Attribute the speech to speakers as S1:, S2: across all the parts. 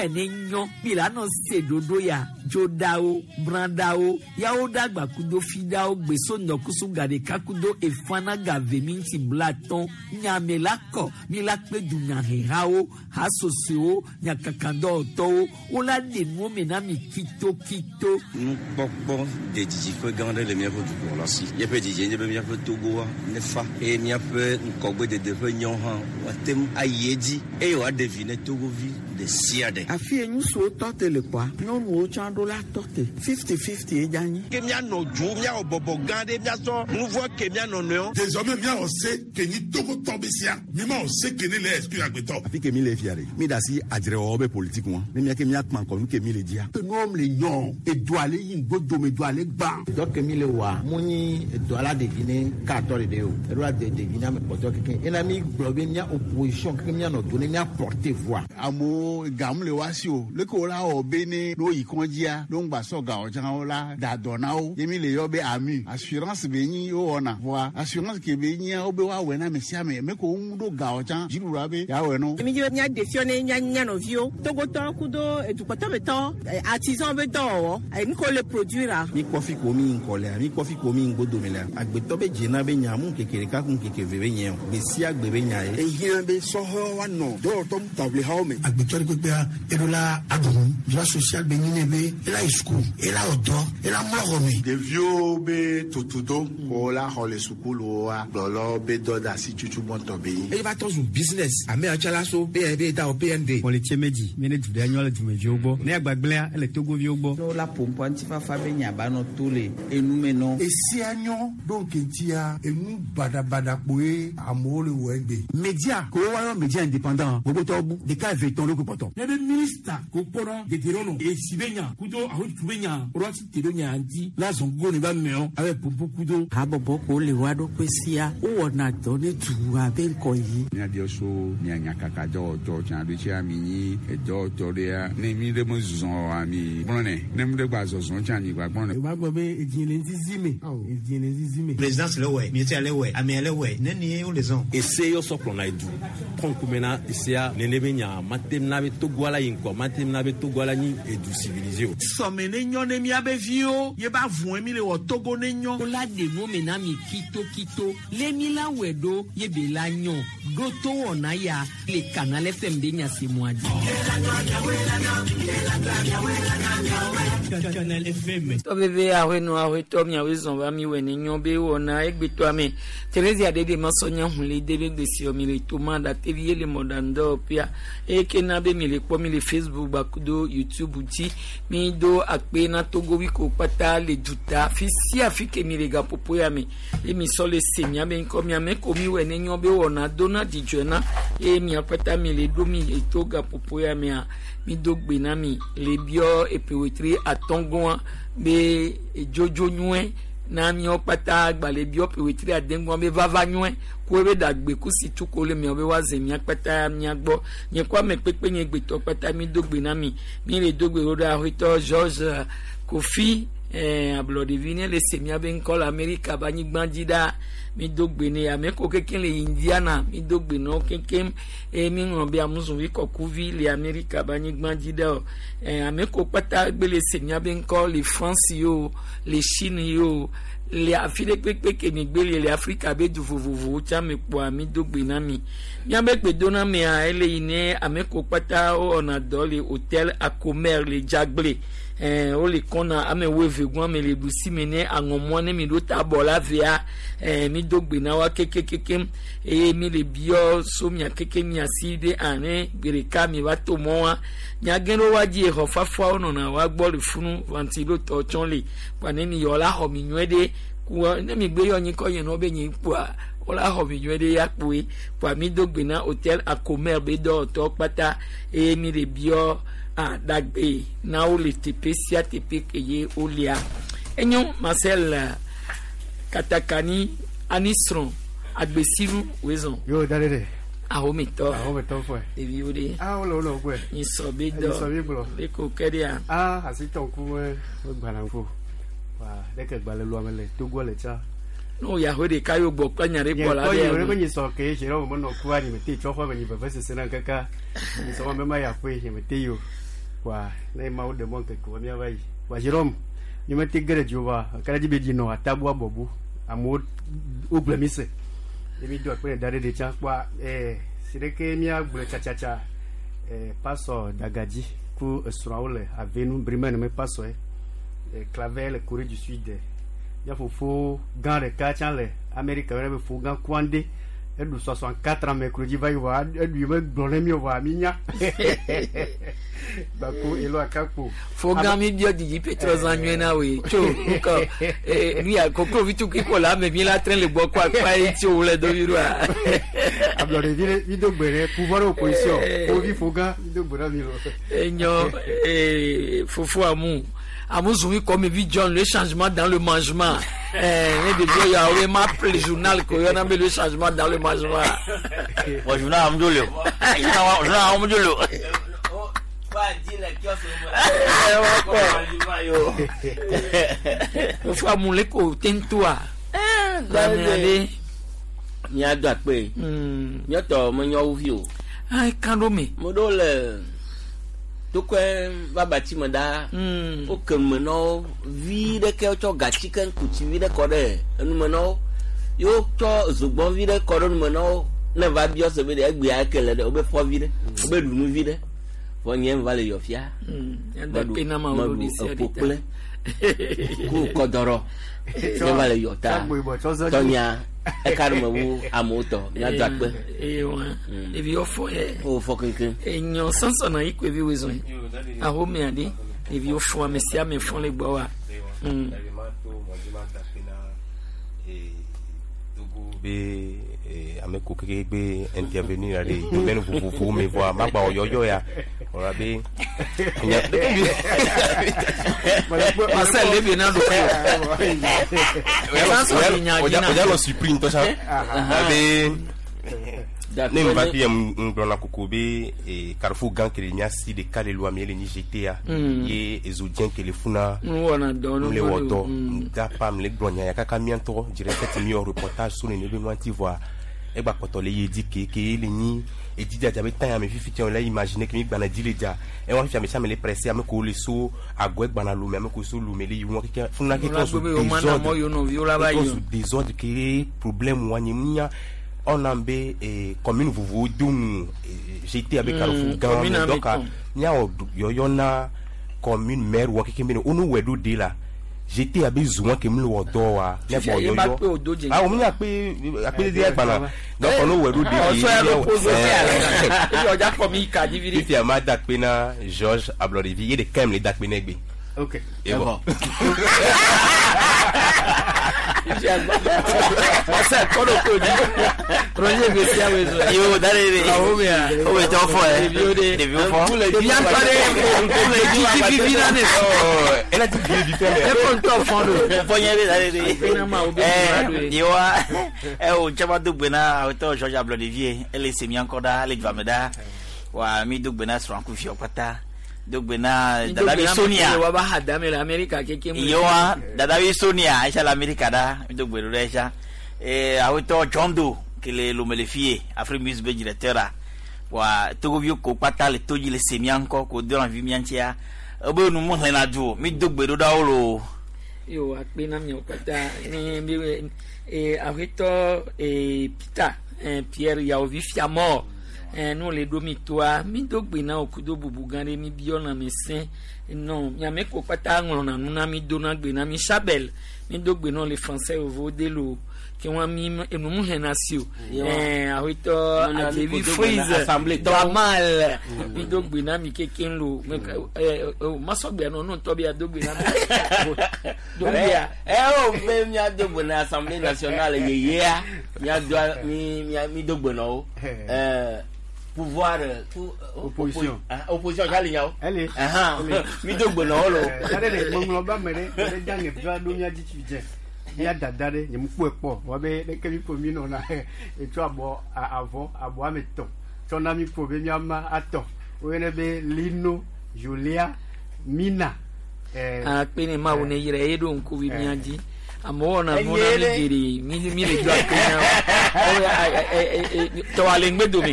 S1: Miwɛ ne nyɔ mi la nɔ se ɖoɖo ya dzoɖawo brãɖawo yawo ɖagba kudo fiɖawo gbeso ŋdɔkusu gaɖeka kudo efana gave minti blatɔn nyame la kɔ mi la kpe dunyahehawo hasosoewo nyakakadɔwɔtɔwo wola ɖe nuwo me na mi kitokito.
S2: Nukpɔkpɔ de didiƒe gã aɖe le míaƒe dukplɔla si. Míaƒe didie nye be míaƒe Togoa nefa eye míaƒe ŋgɔgbedede ƒe nyawo hã woate ŋu ayi edzi eye wòaɖe vi ne Togovi ɖe sia ɖe.
S3: Afi ye ŋutsuwo tɔ te le kpɔa, nyɔnuwo tsã ɖo la tɔ te. Fifty-fifty ye dze anyi.
S4: Ke míanɔ dzo, míawɔ bɔbɔ gã ɖe, míatsɔ nu vɔ̃ ke mía nɔnɔewo.
S5: Désormais míawɔ se ke nyi Togotɔ be sia. Mímawɔ se ke ne le exclure agbetɔ.
S6: Afi ke mi le fia ɖe, mi da asi adzrewɔwɔ be politique ŋua, ne mía ke mía kpa ŋkɔ nu ke mi le dzia.
S7: Ke nuwo le nyɔ, edoa le yi ŋgodo me, doa le gbã.
S8: Dɔ ke mi le wɔa, mu nyi edoa la ɖevi ne katɔ ɖeɖe o, eɖo la de ɖevi ne ame kpɔtɔ keke. Ena mi gblɔ be mía opposition keke mía nɔ do ne mía porter voix.
S9: Amewo gamu le wa si o, leke wo la wɔ be ne no yi kɔndzia, no ŋgba sɔ gawo tsã wo la da dɔ na wo. Ye mi le yɔ be AMU, assurance be nyi wo wɔna. Vɔa assurance ke be nyia wo be woawɔe na ame sia ame, me ko wo ŋu ɖo gawo tsã dziɖuɖua be yeawɔe no.
S10: Mi dzi be mía ɖe fiɔ ne mía mía nɔviwo, Togotɔ kudo edukpɔtɔmetɔ, artisan be dɔwɔwɔ, nu ko le produire.
S11: Mi kpɔ fi ko mi ŋkɔ lea, mi kpɔ fi ko mi ŋgodo me lea. Agbetɔ be dzena be nya mu ŋkeke ɖeka ku ŋkeke eve be nye o. Gbe sia gbe be nya ye.
S7: Ehiã be sɔhɛwo woanɔ dɔwɔtɔ taʋlihawo me.
S12: Agbetɔ ɖe kpekpea eɖo la aɖu nu. Droit social be nyi ne be ela yi suku, ela wɔ dɔ, ela mlɔ xɔ me.
S13: Ɖeviwo be tutudo ko la xɔ le sukuluwoa, gblɔlɔ be dɔ de asi tutu gbɔntɔ be nyi.
S14: Eye va tɔ zu business. Ame yawo tsã la so PND da wɔ PND.
S15: Kpɔlitse medzi mi ne du ɖe nyɔ le dumeviwo gbɔ. Ne agbagblẽa ele Togoviwo gbɔ.
S3: Ne wola ƒo ŋutifafa be nya ba nɔ to le enume nɔ.
S7: Esia nyɔ ɖo ŋkeŋtia enu baɖabaɖa kpoe amewo le wɔ egbe.
S6: Media ko woayɔ media indépendant gbogbotɔwo bu ɖeka eve tɔn ɖo kpɔtɔ.
S16: Ne be minista ko kpɔnɔ dedienɔnɔ esi be nya kudo ahotu be nya woɖo asi te ɖo nya ŋuti la zɔn gogo ne ba meɔ abe popo kudo.
S3: Habɔbɔ ko le wa ɖokui sia wowɔna dɔ ne dua be ŋkɔ yi.
S9: Míabiɔ so mía nyakaka dɔwɔtɔ tsã ɖo tsia mi nyi edɔwɔtɔ ɖea ne mi ɖe me zɔ oa mi gblɔnɛ ne mi ɖe gba zɔzɔ tsã mi gba gblɔnɛ.
S17: O b'a gbɔ be edzi le ŋzizi me, edzi le ŋzizi me.
S18: Présidence le wɛ, ministère le wɛ, amea le wɛ, ne ni wo le zɔn.
S19: Ese yɔ sɔ kplɔna edu kɔ ŋkume na esea nene be nya mate na be Togoa la yi ŋkɔ mate na be Togoa la nyi edu civilisé o.
S20: Sɔme ne nyɔ ne míabe viwo ye ba vɔe mi le wɔ Togo ne nyɔ.
S1: Wola ɖe nuwo me na mi kitokito le mi la wɔe ɖo ye be la nyɔ ɖo to wɔna ya le Canal FM be nya se mɔa dzi.
S21: Canal FM.
S1: Tɔveve ahɔenɔ ahɔetɔ miawoe zɔn va mi wɔ ne nyɔ be wɔna egbetɔa me. Theresia ɖeɖe masɔ nya hun le de be gbesi mi le toma ɖatevi ye le mɔɖaŋudɔwɔƒea eye ke na be mi le kpɔ mi le Facebook gbakudo YouTube dzi mi do akpe na Togovi ko kpata le duta fi sia fi ke mi le gaƒoƒo ya me ye mi sɔ le se miabe ŋkɔ miame ko mi wɔ ne nyɔ be wɔna do na dzidzɔe na eye mia kpata mi le ɖo mi eto gaƒoƒo ya mea mi do gbe na mi le biɔ eƒewetri atɔ̃gɔa be dzodzo nyuie na miawo kpata gbalẽ biɔ ƒewetri adegɔa be vava nyuie ko ebe ɖagbe kusi tu ko le miawo be woaze mia kpata mia gbɔ nye kɔ ame kpekpe nye gbetɔ kpata mi do gbe na mi mi le do gbe ɖo ɖe aƒetɔ George Kofi ablɔɖevi ne le se miabe ŋkɔ le Amerika be anyigba dzi ɖa mi do gbe ne ame ko kekem le Indiana mi do gbe na wo kekem eye mi ŋlɔ be amuzuvi kɔkuvi le Amerika be anyigba dzi ɖa o ame ko kpata gbe le se miabe ŋkɔ le France yo le Chine yo le afi ɖe kpekpe ke mi gbe le le Afrika be du vovovowo tsã me kpɔa mi do gbe na mi miabe gbedonamea ele yi ne ame ko kpata wowɔna dɔ le hôtel Acomer le Djagblé wole kɔna ame wo eve gbɔn ame le ɖusi me ne aŋɔmɔ ne mi ɖo ta bɔ la vea mi do gbe na wa kekekeke eye mi le biɔ so mia keke mia si be ane gbe ɖeka mi va to mɔ wa miage ɖo wa dzi exɔ fafawo nɔna wa gbɔ le funu ventilo tɔ tsɔ le kpa ne mi yɔ la xɔ mi nyuie ɖe ku ne mi gbe yɔ nyikɔ yɛn nɔ be nyi kpoa wola xɔ mi nyuie ɖe ya kpoe kpa mi do gbe na hôtel Acomer be dɔwɔtɔ kpata eye mi le biɔ ɖagbe na wo le teƒe sia teƒe ke ye wolia enyo Marcel Katakani anisrɔ̃ agbesiru wezɔn.
S17: Yo da ɖe.
S1: Ahometɔ.
S17: Ahometɔ fɔe.
S1: Ɖeviwo ɖe.
S17: Ah wole wole gbɔe.
S1: Nyisɔ be dɔ.
S17: Nyisɔ be gblɔ.
S1: Be ko ke ɖea.
S17: Ah asitɔ ŋku me gbana ŋku. Wa ɖeke gbalẽ lu ame le Togo le tsa.
S1: N'o yaho ɖeka yóò gbɔ kple nya ɖe gbɔ la
S17: ɖe. Nye kpɔ yi nyisɔ ke tsi ɖe wo menɔ kua nye mete tsɔ xɔ me nye veve sese na kaka. Nyisɔ ma me ma ya ƒe nye mete yi o. Kpoa ne Mawu ɖe mɔ ŋkeke wɔ míava yi. Kpoa Jérôme, mi mete ge ɖe dziwò vɔa, kaka ɖe edzi be dzi nɔ atabu abɔbu. Amewo wogblɔe mi se. Ye mi do akpe ne da ɖe ɖe tsã. Kpoa si ɖeke míagblɔe tsatsatsa pasɔ Dagadzi ku esrɔ̃awo le avenu Brimene me pasɔe. Claver le Corée du Sud. Mía fofo gã ɖeka tsã le Amerika yɔna be fo gã Kwande. Eɖu 64 ans mercredi va yi vɔa eɖu yi megblɔ ne mi o vɔa mi nya. Gbako elo akakpo.
S1: Fo gã mi biɔ didi Petro zã nyuie na woe tso ŋkɔ nu ya koklovi tukui ko le ame mi la trẽ le gbɔ kɔ akpa ye tsi wo le dovi ɖoa.
S17: Ablɔɖevi ɖe mi do gbe ɖe pouvoir de opposition. Fovi fo gã mi do gbe ɖe mi lo.
S1: Enyo fofo amu amu zumi comme vi John le changement dans le mangement. Ne ɖeviwo ya wo ma ple journal ko yɔna be le changement dans le mangement.
S21: Bon, journal amu le. Journal amu le.
S1: Fofo amu le ko tentoa. Ame
S22: Míado akpe. Míatɔ menye wo vi o.
S1: Ah, kan ɖo me.
S22: Mo ɖewo le tokɔe va batsi me ɖaa. Woke me na wo vi ɖeke wotsɔ gatsi ke ŋkutsi vi ɖe kɔ ɖe enume na wo. Ye wotsɔ zogbɔn vi ɖe kɔ ɖe nume na wo. Ne va biɔ se be ɖe egbea eke le ɖe wobe fɔ vi ɖe, wobe ɖu nu vi ɖe. Vɔ nye va le yɔ fia.
S1: Meɖu
S22: eƒo kple ku kɔdɔrɔ. Nye va le yɔ ta. Tɔnya eka ɖe me wu amewo tɔ. Míado akpe.
S1: Ewa. Ɖeviwo fɔ yɛ.
S22: Wo fɔ keŋkeŋ.
S1: Enyɔ sɔnsɔn yi ko evi wo zɔn. Ahome aɖe. Ɖeviwo fɔ ame sia ame fɔ le gbɔ wa.
S23: Be ame ko keke be intervenir ale domaine vovovowo me vɔa magba wɔ yɔyɔ ya wòle be.
S1: Marcel le na ɖo
S23: o lɔ surpris ŋutɔ sa be ne n va fi n gblɔna koko be carrefour gã ke le mía si ɖeka le loa mi le nyi GTA ye ezo dzẽ ke le funa
S1: nu
S23: le wɔ dɔ da pa m le gblɔ nya ya kaka mía ŋutɔ directeur mi wɔ reportage so nene be nua ŋuti vɔa egba kpɔtɔ le ye di ke ke le nyi edzi dzadza be tan ame fifi tsɛ le imaginer ke mi gbana dzi le dza ewa fifi ame sia ame le pressé ame ko le so agɔe gbana lome ame ko so lome le yi wɔn keke funa ke trɔ so désordre désordre ke problème wa nye nya on be commune vovovowo do nu GTA be carrefour gã me donc míawɔ yɔyɔ na commune maire wɔ keke be ne wo no wɔ ɖo de la GTA be zu wɔn ke mi le wɔ dɔ wa ne bɔ yɔyɔ awo mi akpe akpe de agbana donc on wɔ ɖo de ke fifia ma da akpe na Georges Ablɔɖevi ye ɖeka le da akpe na egbe.
S17: Ok.
S23: Et bon.
S1: Marcel, kɔ ɖo ko dzi. Roger Gbèsè awo ezo.
S21: Yo, dale de. O bɛ tɔgɔ fɔ yɛ. Ɖeviwo fɔ.
S1: Ɖevia ŋutɔ ɖe dzidzi vivi na ne.
S23: Ela ti vi vi fɛn
S1: bɛɛ. E ko ŋutɔ fɔn do.
S21: Fɔ nyɛ de dale de. Yewa o caman do gbena awetɔ Georges Ablɔɖevi ye ele se mía ŋkɔ ɖa ele dzua me ɖa wa mi do gbena srɔ̃kuviwo kpata do gbena dadavi Sonia.
S1: Wa ba ha dame le Amerika keke mu.
S21: Yewa dadavi Sonia aisha la Amerika ɖa mi do gbe ɖo ɖe aisha awetɔ John Doe ke le Lome le fie Afrique Music be directeur a wa togoviwo ko kpata le to dzi le se mía ŋkɔ ko do lãvi mía ŋutia ebe nu mu xlẽna du o mi do gbe ɖo ɖa wo lo.
S1: Yo akpe na miawo kpata ne mi aƒetɔ Peter Pierre Yaovi Fiamɔ nu le ɖo mi toa mi do gbe na wo kudo bubu gã ɖe mi biɔ na mi sẽ nɔ miame ko kpata ŋlɔna nu na mi do na gbe na mi Chabel mi do gbe nɔ le français vovo de lo ke wɔn mi enu mu hɛn si o aƒetɔ Adzevi Freeze Damal mi do gbe na mi keke lo masɔgbe nɔ nu ŋutɔ bi ado gbe na mi do bia.
S22: O be mía do gbe na Assemblée nationale yeyea mía do mi mi do gbe na wo pouvoir
S17: opposition
S22: opposition jali nyawo.
S17: Ele.
S22: Mi do gbe na wo lo.
S17: Dade de ŋɔŋlɔ ba me ɖe ɖe dza nye va ɖo mía dzi tsi dze mía dada ɖe nye mu kpɔe kpɔ wɔ be ɖeke mi ƒo mi nɔna etsɔ abɔ avɔ abɔ ame tɔn tsɔ na mi ƒo be míama atɔ woyɔnɛ be Lino Julia Mina.
S1: Akpe ne Mawu ne yra ye ɖo ŋkuvi mía dzi amewo wɔna nu na mi geɖe mi mi le do akpe na wo. Tɔwa le ŋgbe dome.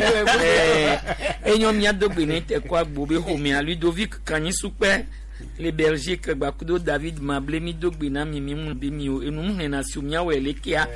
S1: Enyo mía do gbe ne te kɔ agbo be xɔmea Ludovic Kanyisukpe le Belgique gbakudo David Mable mi do gbe na mi mi ŋu be mi o enu ŋlẽna si miawɔe lekea.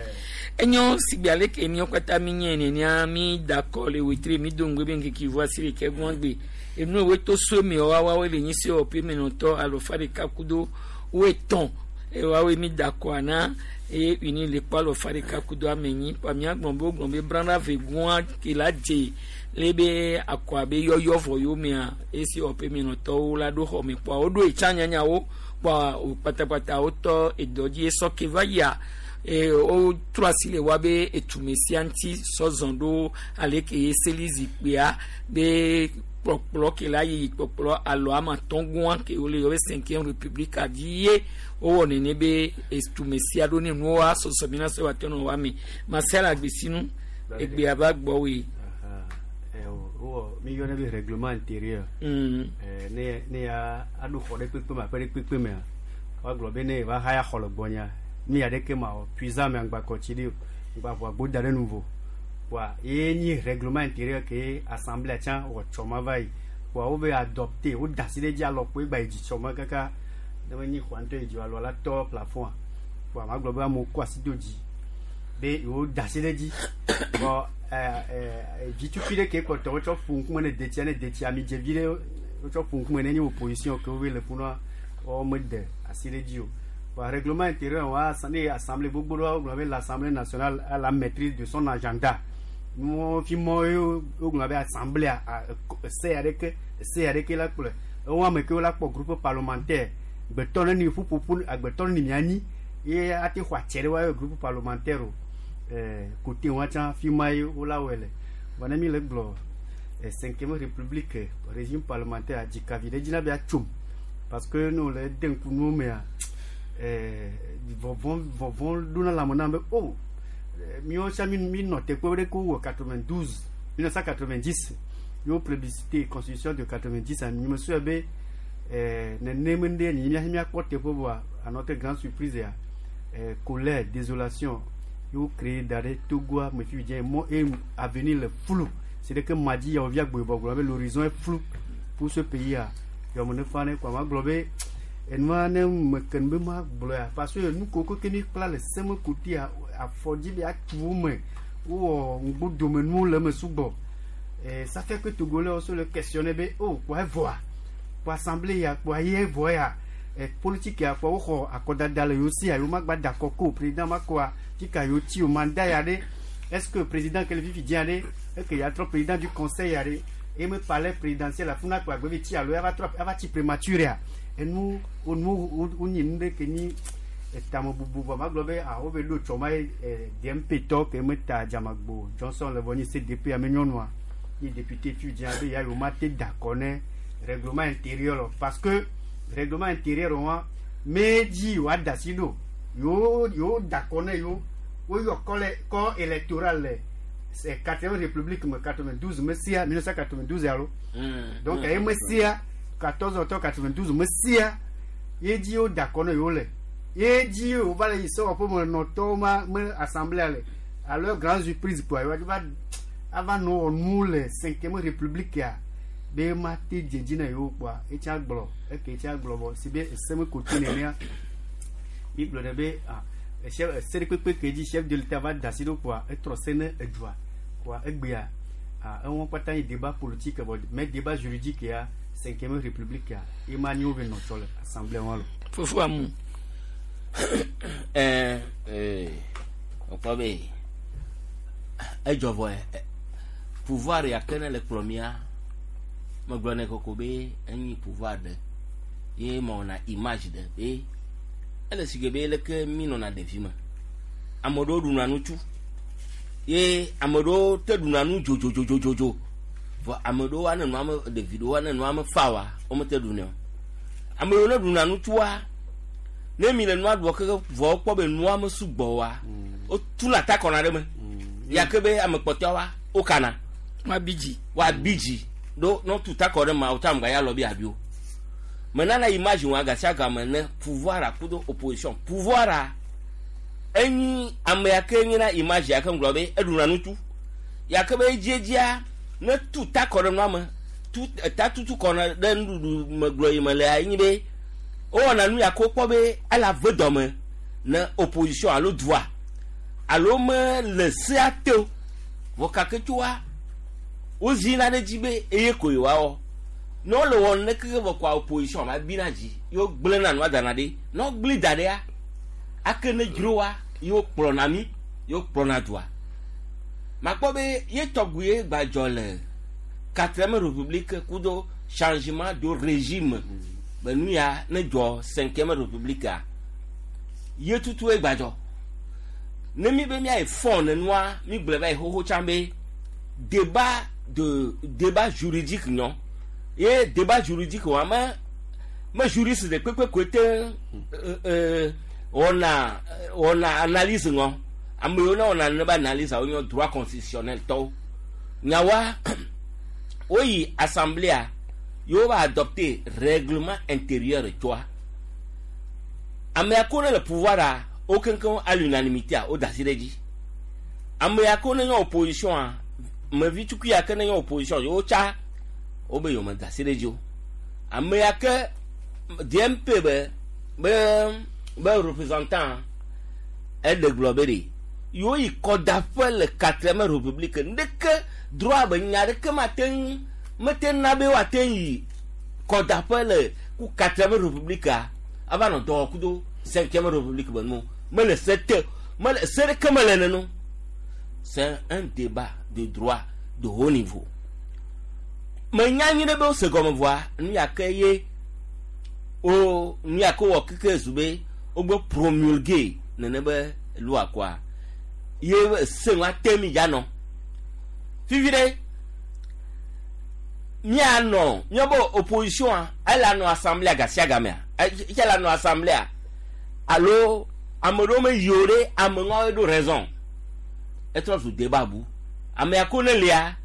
S1: Enyo sigbe ale ke míawo katã mi nye nenea mi da kɔ le wetri mi do ŋgbe be ŋkeke ʋu asi ɖeke gbɔn gbe. Enu ewoe to so mi wa woawoe le nyi se wɔƒe menɔtɔ alɔfa ɖeka kudo woetɔ̃ eye woawoe mi da kɔa na eye uni le kpɔ alɔfa ɖeka kudo ame enyi kpɔa míagblɔ be wogblɔ be brana ve gɔa ke la dze le be akɔa be yɔyɔ vɔ yomea esi wɔƒe menɔtɔwo la ɖo xɔ me kpɔa woɖo etsã nyanyawo kpɔa wo kpatakpata wotɔ edɔ dzi esɔ ke va yia eye wotrɔ asi le wa be etume sia ŋuti sɔzɔ ɖo ale ke seli zikpuia be kplɔkplɔ ke la yi kplɔkplɔ alo ame atɔ̃ gɔa ke wole yɔ be cinquième république dzi ye wowɔ nene be etume sia ɖo ne nuwo wa sɔsɔ mi na sɔ wa tɔnɔ wa me masela agbesinu egbea va gbɔwoe.
S17: Wowɔ mi yɔna be règlement intérieur. Ne ne ya aɖo xɔ ɖe kpekpe me aƒe ɖe kpekpe mea woagblɔ be ne va haya xɔ le gbɔnya mi ya ɖeke ma wɔ puisa me ŋgba kɔ tsi ɖi o ŋgba ʋu agbo da ɖe nuvo kpoa ye nyi règlement intérieur ke assemblée tsã wɔ tsɔ ma va yi kpoa wo be adopté wo da asi ɖe dzi alɔkpo egba yi dzi tsɔ ma kaka ne me nyi xɔa ŋutɔ yi dzi alɔ la tɔ plafond kpoa ma gblɔ be amewo kɔ asi do dzi be yewo da asi ɖe dzi bɔn vitukui ɖe ke kpɔtɔ wotsɔ ƒo ŋkume ne detsia ne detsia amidzevi ɖe wotsɔ ƒo ŋkume ne nye opposition ke wobe le funua wɔme de asi ɖe dzi o. Bon, règlement intérieur wa ne assemblée gbogbo ɖewo gblɔ be l'assemblée nationale a la maîtrise de son agenda. Nuwo fi mɔ ye wogblɔ be assemblée a se ya ɖeke se ya ɖeke la kplɔe. Ewo ame kewo la kpɔ groupe parlementaire gbetɔ ne ni ƒuƒoƒo agbetɔ ne ni mianyi ye ate xɔ atse ɖe woabe groupe parlementaire o. Côté wa tsã fi ma ye wola wɔe le. Vɔ ne mi le gblɔ cinquième république régime parlementaire dzikavi ɖe dzi na be atsom parce que ne wòle de ŋku nuwo mea vɔvɔ vɔvɔ ɖona lãme nam be o míawo tsã mi mi nɔ teƒe ɖe ke wowɔ 92 1990 yewo plébiscité constitution de 90 mi me sɔe be nenem ŋɖe nyi míaƒe míakpɔ teƒe vɔa à notre grande surprise ya colère désolation yewo créé da ɖe Togoa me fi dze mɔ e avenir le flou c'est que madzi yawo via gboyibɔ gblɔ be l'horizon est flou pour ce pays a yɔme ne fa ne kɔa ma gblɔ be enua ne me ke be ma gblɔ ya parce que nu ko ke mi kpla le seme kotea afɔdzi be atu wo me wowɔ ŋgbodomenuwo le eme sugbɔ ça fait que Togolais also le questionner be oh kpɔ evɔa kpɔ assemblée ya kpɔ ayi evɔ ya politique ya kpɔ woxɔ akɔdada le yewo si ya yewo ma gba da akɔ ko président ma kɔa fika yewo ti o mandat ya ɖe est-ce que président ke le fifi dzia ɖe eke ya trɔ président du conseil ya ɖe eye me palais présidentiel afuna kpɔ agbe ti alo ava trɔ ava tsi prématuré ya enu onu wonyi nu ɖe ke nyi etamebubu vɔ ma gblɔ be ah wo be ɖo tsɔ ma ye DMP tɔ ke me ta Dzamagbo Johnson le vɔ nyi CDP ame nyɔnua nyi député fi dzia be ya yewo ma te da akɔ ne règlement intérieur parce que règlement intérieur wa me dzi yewoa da asi ɖo yewo yewo da akɔ ne yewo woyɔ kɔ le kɔ électoral le c'est quatrième république me 92 me sia 1992 alo donc eye me sia 14 octobre 92 me sia ye dzi wo da akɔ ne yewo le ye dzi wo va le yi sewɔƒe me nɔtɔwo ma me assemblée le alors grande surprise quoi yewoa va ava nɔ wɔ nu le cinquième république ya be ma te dze dzi na yewo kpoa etsa gblɔ eke etsa gblɔ vɔ si be ese me kote nenea mi gblɔ ɖe be ah chef ese ɖe kpekpe ke dzi chef de l'état va da asi ɖo kpoa etrɔ se ne edua kpoa egbea ah eŋu kpata nyi débat politique vɔ mais débat juridique ya cinquième république ya ye ma nyi wo be nɔ tsɔ le assemblée wa lo.
S1: Fofo amu.
S22: Ɛɛ ee ɔkpɔ be edzɔ vɔ pouvoir ya ke ne le kplɔ mía megblɔ ne koko be enyi pouvoir ɖe ye mewɔna image ɖe be ele si ke be leke mi nɔna ɖevi me ame ɖewo ɖuna nu tsu ye ame ɖewo te ɖuna nu dzodzodzodzodzo vɔ ame ɖewo ane nua me ɖevi ɖewo ane nua me fa wa womete ɖunɛ o ame ɖewo ne ɖuna nu tsua ne mi le nua ɖuɔ keke vɔ wokpɔ be nua me sugbɔ wa wotuna ta kɔna ɖe me ya ke be ame kpɔtɔa wokana
S1: woabi dzi
S22: woabi dzi ɖo ne wotu ta kɔ ɖe ma wotsa ŋgba ya lɔ bi abi o menana image wa gasia game ne pouvoir kudo opposition pouvoir. Enyi ame ya ke nyina image ya ke ŋgblɔ be eɖuna nutu. Ya ke be edziedzia ne tu ta kɔ ɖe nua me tu ta tutu kɔ ɖe nuɖuɖu me gblɔ yi me lea enyi be wowɔna nu ya ke wokpɔ be ele ave dɔme ne opposition alo dua alo me le sea te o. Vɔ kake tsoa wozina ɖe edzi be eye ko yewoawɔ. Ne wole wɔm ne keke vɔ koa opposition va bina dzi ye wogblẽna nua dana ɖi. Ne wogblẽ da ɖia ake ne dzroa ye wokplɔna mí ye wokplɔna dua. Makpɔ be ye tɔgbi ye gbadzɔ le quatrième république kudo changement de régime be nu ya ne dzɔ cinquième république a ye tutu ye gbadzɔ. Ne mi be miayi fɔ nenua mi gblɔ va yi xoxo tsã be débat de débat juridique nyɔ ye débat juridique wa me me juriste de kpekpe koe te wɔna wɔna analyse ŋɔ ame yiwo ne wɔna ne be analyse wo nyɔ droit constitutionnel tɔwo nyawa woyi assemblée yewo va adopter règlement intérieur tsoa ame ya ko ne le pouvoir a wo keŋkeŋ à l'unanimité a wo da asi ɖe edzi ame ya ko ne nye opposition a mevi tukui ya ke ne nye opposition yewo tsa wo be yewo me da asi ɖe edzi o ame ya ke DMP be be be représentant eɖe gblɔ be ɖe yewo yi kɔdaƒe le quatrième république ndeke droit be nya ɖeke mate ŋu mete na be woate ŋu yi kɔdaƒe le ku quatrième république a ava nɔ dɔ kudo cinquième république be nu mele se te mele se ɖeke mele nenu. C'est un débat de droit de haut niveau. Menya nyi ɖe be wose gɔme vɔa nu ya ke ye wo nu ya ke wɔ keke zu be wogbe promulguer nene be loi koa ye se ŋua te mi dza nɔ fifi ɖe mianɔ miabe opposition a ele anɔ assemblée gasia gamea etse le anɔ assemblée alo ame ɖewo me yi o ɖe ame ŋua ɖo raison etrɔ zu débat bu ame ya ko ne lia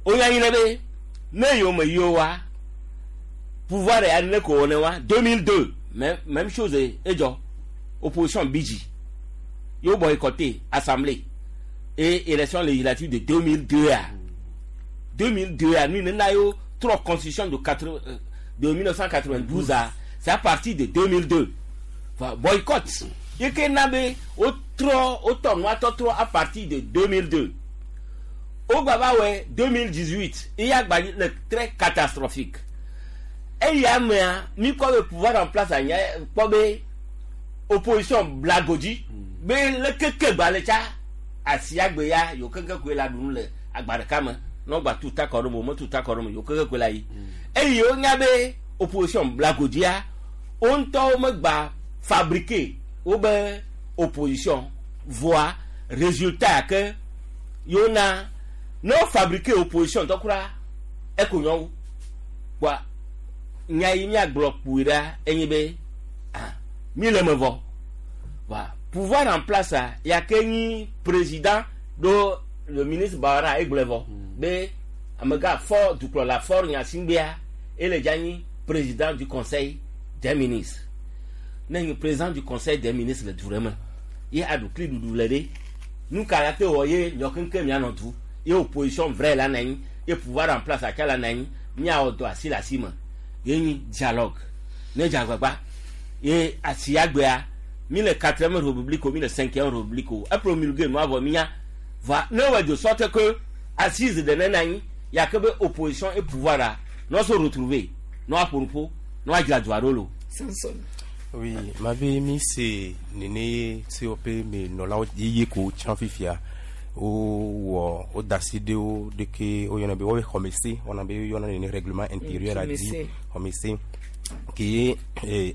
S22: wonya nyi ɖe be ne yewo me yi o wa pouvoir ya ne ko ne wa 2002 même même chose edzɔ opposition bidzi yewo boycotté assemblée et élection législative de 2002 a 2002 a nu nena yewo trɔ constitution de 4 de 1992 a c'est à partir de 2002. Enfin, boycott ye ke na be wotrɔ wotɔ nua tɔtrɔ à partir de 2002 wogba va wɔe 2018 eya gba le très catastrophique eya mea mi kpɔ be pouvoir en place anya kpɔ be opposition blagodzi be lekeke gba le tsa asiagbe ya yewo keŋkeŋ koe la ɖu nu le agba ɖeka me ne wogba tu ta kɔ ɖe me wo metu ta kɔ ɖe me yewo keŋkeŋ koe la yi eye wonya be opposition blagodzia wo ŋutɔwo megba fabriquer wo be opposition voa résultat ya ke yewo na ne wo fabriquer opposition tɔ kura eko nyɔwu kpoa nya yi miagblɔ kpui ɖa enye be ah mi le me vɔ wa pouvoir en place a ya ke nyi président ɖo le ministre Bawara egblɔe vɔ be amegã fɔ dukplɔla Faure Gnassingbéa ele dza nyi président du conseil des ministres ne nyi président du conseil des ministres le du ɖe me ye aɖukli ɖuɖu le ɖe nu ka la te wɔ ye miɔ keŋkeŋ mianɔ du ye opposition vrai la na anyi ye pouvoir en place atsa la na anyi miawɔ dɔ asi le asi me ye nyi dialogue ne dze agbagba ye asiagbea mi le quatrième république o mi le cinquième république o epromulgué nua vɔ mi nya va ne wɔ de sorte que assise de ne na anyi ya ke be opposition et pouvoir a ne se retrouver ne woaƒo nuƒo ne woadzra dua ɖo lo.
S1: Samson.
S23: Oui, mabe mi se nene COP me nɔlawo yeye ko tsã fifia wowɔ woda asi ɖe wo ɖeke woyɔna be wobe xɔmese wɔna be woyɔna nene règlement intérieur a di xɔmese ke ye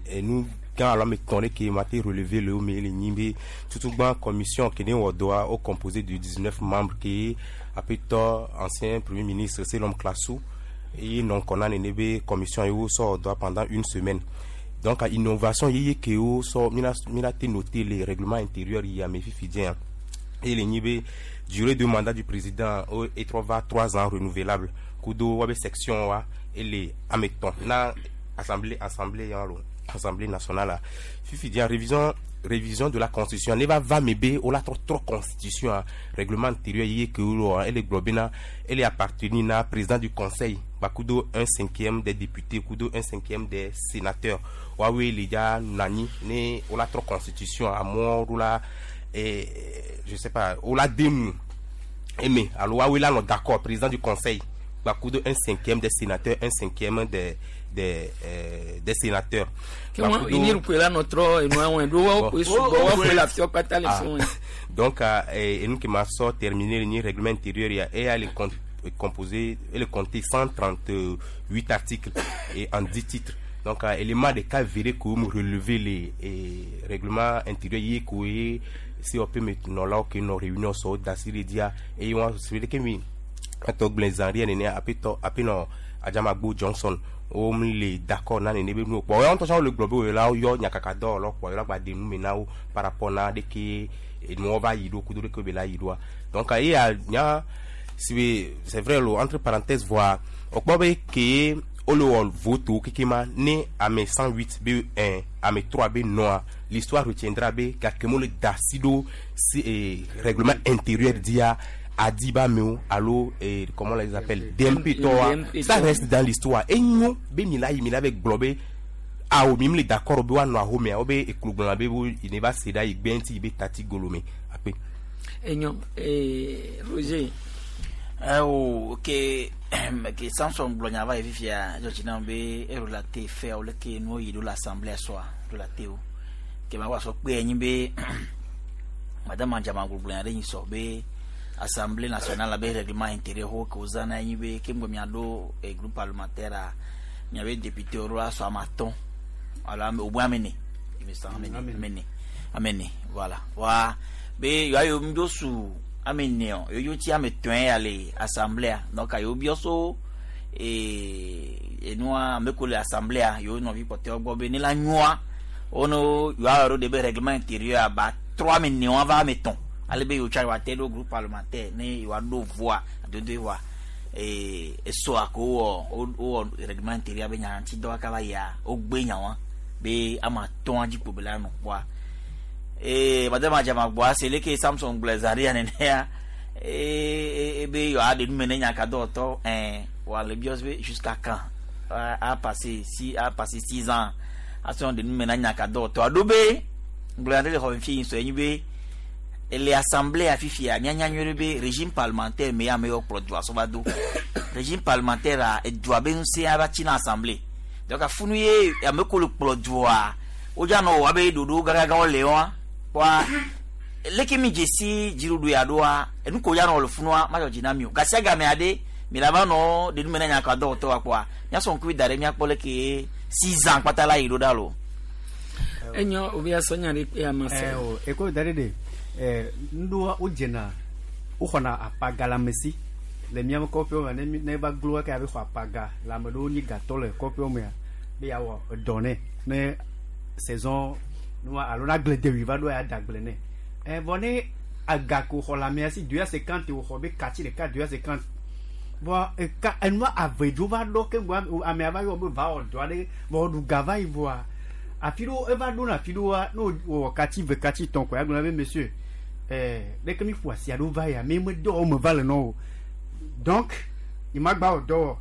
S23: enu gã alo ame etɔ̃ ɖe ke ma te relever le wo me le nyi be tutugbã commission ke ne wɔ dɔa wo composé de 19 membres ke aƒetɔ ancien premier ministre Sélom Klassou eye nɔ ŋkɔ na nene be commission ye wo sɔ wɔ dɔa pendant une semaine. Donc innovation yeye ke wo sɔ mina mina te noter le règlement intérieur yi ame fifi dzea et le nyi be durée de mandat du président o etrɔ va 3 ans renouvelable kudo woabe section wa ele ame etɔ̃ na assemblée assemblée ya lo. Assemblée nationale fifi dia révision de la constitution ne va va mebe o la trɔ trɔ constitution a règlement intérieur ye ke wo ele gblɔ bena ele appartenir na président du conseil bakudo un cinquième des députés kudo un cinquième des sénateurs woawoe le dza nɔ anyi ne wo la trɔ constitution amewo ɖo la je sais pas wo la de nu eme alo woawoe la nɔ d'accord président du conseil bakudo un cinquième des sénateurs un cinquième des sénateurs.
S1: Ke wọn inirukue la nɔ trɔ enua wɔn ɖo wɔn koe sugbɔ wɔn koe le afiɔ kpata le fi wɔn.
S23: Donc enu ke ma sɔ terminer ni règlement intérieur ya eya le composé et le compter 138 articles et en 10 titres. Donc élément de cas verré que me relever les règlements intérieur ye ko ye COP me nɔlawo ke nɔ réunion sɔ dasiri dia eye wɔn se ke mi atɔ gblẽ zan ria nene apetɔ apenɔ Adjamagbo Johnson wo mi le d'accord na nene be nu kpɔ wɔn ŋutɔ le gblɔ be wo la yɔ nyakaka dɔwɔlawo kpɔ yɔ la gba de nu me na wo par rapport na de ke enuwo va yi ɖo kudo de ke be la yi ɖoa. Donc eya nya si be c'est vrai lo entre parenthèses voa wokpɔ be ke wole wɔ vote keke ma ne ame 108 be 1 ame 3 be nɔa l'histoire retiendra be gake mo le da si ɖo si règlement intérieur dia Adiba mewo alo comment on les appelle DMP tɔwa ça reste dans l'histoire enyo be mi la yi mi la be gblɔ be awo mi mi le d'accord be woanɔ ahomea wo be eklo be wo ne va se ɖa yi gbe ŋuti yi be tati golo me akpe.
S1: Enyo Roger.
S21: O ke Samson gblɔ nya va yi fifia dzɔdzi na be erelate fɛawo leke nuwo yi ɖo le assemblée sɔa relate wo ke ma wa sɔ kpe enyi be madame Adjamagbo gblɔ nya ɖe nyi sɔ be Assemblée nationale be règlement intérieur ho ke wozãna enyi be ke ŋgɔ miaɖo groupe parlementaire a miabe député wo ɖo asɔ ame atɔ̃ alo ame au moins ame ene il me semble ame ene voilà wa be yewoa yewo ŋdzo su ame ene o yewo tsi ame etɔ̃ ya le assemblée donc yewo biɔ so enua ame ko le assemblée yewo nɔvi kpɔtɔewo gbɔ be ne la nyoa wono yewoawɔ ɖo de be règlement intérieur aba trɔ ame ene wa va ame etɔ̃ ale be yewo tsa yewoate ɖo groupe parlementaire ne yewoaɖo voa adodoe voa esɔa ko wowɔ wowɔ règlement intérieur be nya ŋuti dɔ kaka va yia wogbe nya wa be ame atɔ̃a dzi kpo be la nɔ kpɔa madame Adjamagboa se leke Samson gblɔ zaria nenea be yewoaɖe nu me ne nya ka dɔwɔtɔ wòale biɔ be jusqu'à quand a passé 6 ans asɔ ɖe nu me na nya ka dɔwɔtɔ aɖo be gblɔ nya ɖe le xɔ me fi sɔ enyi be ele assemblée afifia mianya nyuie ɖe be régime parlementaire me ame yiwo kplɔ dua sɔ va do régime parlementaire a edua be ŋusẽ va tsi na assemblée donc afunu ye ame ko le kplɔ dua wodza nɔ wɔ abe ɖoɖo gãgãgãwo le wa kpɔa leke mi dzesi dziɖuɖu ya ɖoa enu ko ya nɔ le funua ma dzɔ dzi na mi o gasia game aɖe mi la va nɔ ɖe nu me na nya ka dɔwɔtɔ wa kpɔa miasɔ ŋkuvi da ɖe miakpɔ leke 6 ans kpata la yi ɖo ɖa lo.
S1: Enyo obi asɔ nya ɖe kpe ama se.
S17: O eko da ɖe de nuɖoa wodzena woxɔna apaga le ame si le miame kɔƒewo me ne va glo eke abe xɔ apaga le ame ɖewo nyi gatɔ le kɔƒewo mea be yeawɔ edɔ nɛ ne saison nua alo na agble dewi va ɖo ya da agble nɛ vɔ ne aga ko xɔ le amea si 250 wòxɔ be katsi ɖeka 250 vɔ eka enua ave dzo va ɖo ke ŋgɔ amea va yɔ be va wɔ dɔ aɖe vɔ ɖu ga va yi vɔa afi ɖewo eva ɖo na afi ɖewoa ne wòwɔ katsi ve katsi tɔn ko ya gblɔ be monsieur ɖeke mi ƒo asi aɖewo va ya mi me dɔ wɔme va le nɔ o donc yi ma gba wɔ dɔ wɔ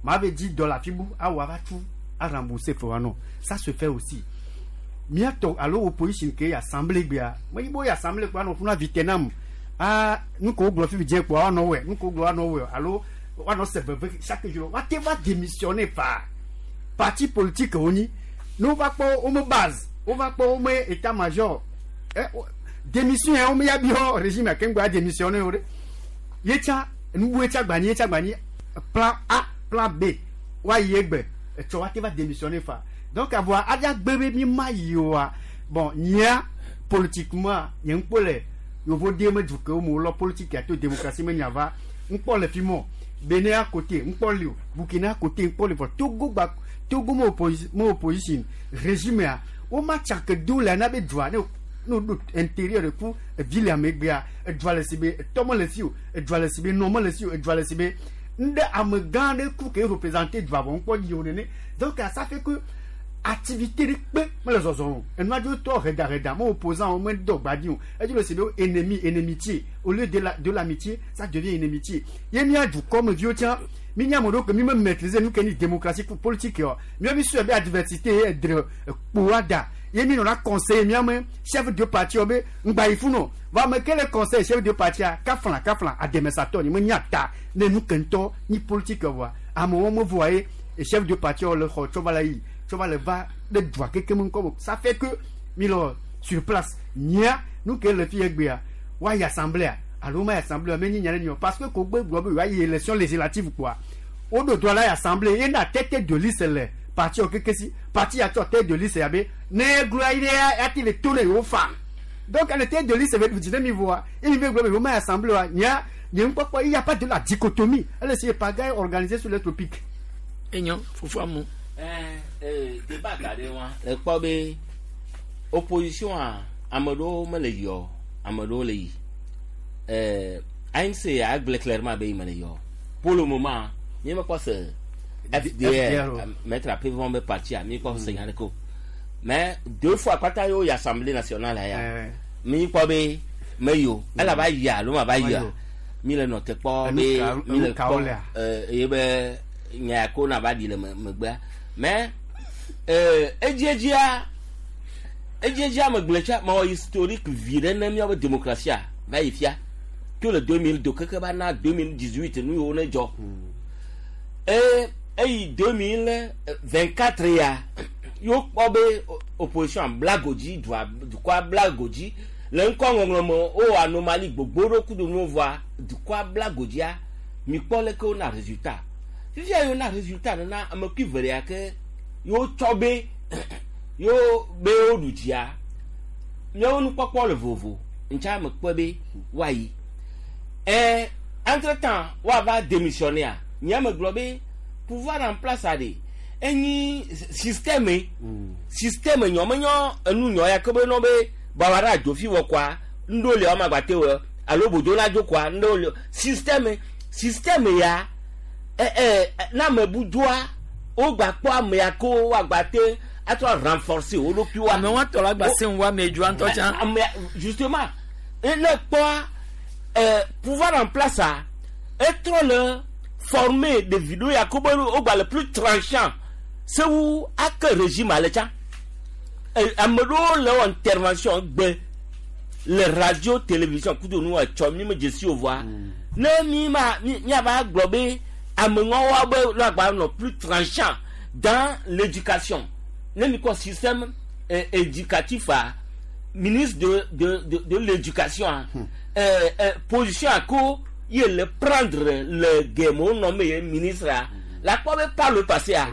S17: ma ve dzi dɔ le afi bu awɔ ava tu a rembourser fɛ wa nɔ. Ça se fait aussi miatɔ alo opposition ke assemblée gbea me yibo ye assemblée kpɔ anɔ funa vitenam aa nu ko gblɔ fifi dze kpɔ woanɔ wɛ nu ko gblɔ woanɔ wɛ alo woanɔ se veve chaque jour woate va démissionner fa parti politique wonyi ne wova kpɔ wo me base wova kpɔ wo me état major démission ya wo me ya biɔ régime ke ŋgɔ ya démissionner o ɖe yetsa nubu yetsa gbanyi yetsa gbanyi plan A plan B woayi egbe etsɔ woate va démissionner fa donc avoa adza gbe be mi ma yi oa bon nyia politiquement nye ŋkpɔ le yovo de me du kewo me wolɔ politique ato démocratie me nya va ŋkpɔ le fi mɔ Benin à côté ŋkpɔ li o Burkina à côté ŋkpɔ li vɔ Togo gba Togo me opposition régime ya wo ma tsake do le ana be dua ne ɖo intérieur de ku ville ya megbea edua le si be etɔ me le si o edua le si be nɔ me le si o edua le si be ŋɖe ame gã ɖe ku ke représenter dua vɔ ŋkpɔ yi o nene. Donc ça fait que Activité ɖe kpe mele zɔzɔm o. Enua dzo tɔ hɛdahɛda, me opposant wo me dɔ gbadi o. Edzi le si be ennemi, enemitié. Au lieu de la, de l'amitié, ça devient enemitié. Ye mía dukɔ me viwo tsã, mi nye ame ɖewo ke mi me maîtriser nu ke nyi démocratie politique o. Mía mi sɔe be adversité ye edre kpoa da. Ye mi nɔna conseiller mía me chef de parti wo be ŋgba yi funu o. Vɔ ame ke le conseiller chef de partia, kafla kafla ademesatɔ ni me nya ta ne nu ke ŋutɔ nyi politique vɔa. Amewo me voa ye chef de parti wo le xɔ tsɔ va le yi tsɔ va le va ɖe dua keke me ŋkɔ me. Ça fait que mi le sur place nyia nu ke le fi egbea woayi assemblée alo ma yi assemblée me nyi nya ɖe nyi o parce que ko gbe gblɔ be yewoayi élection législative kpoa woɖo droit la yi assemblée ye na tête de liste le parti wo keke si parti ya tsɔ tête de liste ya be ne egloa yi ɖe ya ti le to ne yewo fa donc le tête de liste be dzi ne mi voa ye mi be gblɔ be yewo ma yi assemblée wa nyia nye ŋkpɔkpɔ il y a pas de la dichotomie elle c'est pagaille organisée sur les tropiques.
S1: Enyo fufu amu.
S22: Débat ga ɖe wa le kpɔ be opposition a ame ɖewo mele yi o ame ɖewo le yi ANC agblẽ clairement be yi mele yi o pour le moment mi mekpɔ se FDR maître Apevon be parti a mi kpɔ se nya ɖeke o mais deux fois kpata yewo yi assemblée nationale ya mi kpɔ be me yi o elabe yi alo ma va yia mi le nɔ te kpɔ be mi le kpɔ eye be nya ya ko na va ɖi le megbea mais edziedzia edziedzia megblẽ tsa mewɔ historique vi ɖe ne míaƒe démocratie va yi fia to le 2002 keke va na 2018 nu yiwo ne dzɔ eyi 2024 ya yewo kpɔ be opposition bla godzi dua dukɔa bla godzi le ŋkɔ ŋɔŋlɔ me wowɔ anomalie gbogbo ɖewo kudo nuwo vɔa dukɔa bla godzia mi kpɔ leke wona résultat fifia yewo na résultat nana ame kui ve ɖe ke yewo tsɔ be yewo be woɖu dzia míawo nukpɔkpɔ le vovo ntsa me kpɔe be woayi entre temps woava démissionner a nye me gblɔ be pouvoir en place a ɖe enyi système système nyɔ menyɔ enu nyɔ ya ke be nɔ be bawa ɖe adzofi wɔ kɔa ŋɖo le wɔma gbate wɔ alo bodzo la dzo kɔa ŋɖo le système système ya na ame bu dzoa wogba kpɔ ame ya ko woagba te atrɔ renforcer wo ɖokuiwoa.
S1: Ame wa tɔ la gba se ŋu ame dzoa ŋutɔ tsã.
S22: Ame justement ne kpɔa pouvoir en place a etrɔ le former ɖevi ɖewo ya ko be wogba le plus tranchant sewu ake régime ale tsã ame ɖewo le wɔ intervention gbe le radio télévision kudo nu etsɔ mi me dzesi o vɔa ne mi ma mi miava gblɔ be ame ŋɔwoa be lo agba nɔ plus tranchant dans l'éducation ne mi kɔ système éducatif a ministre de l'éducation a position a ko ye le prendre le gɛmɛwo nɔ me ye ministre a la kpɔ be par le passé a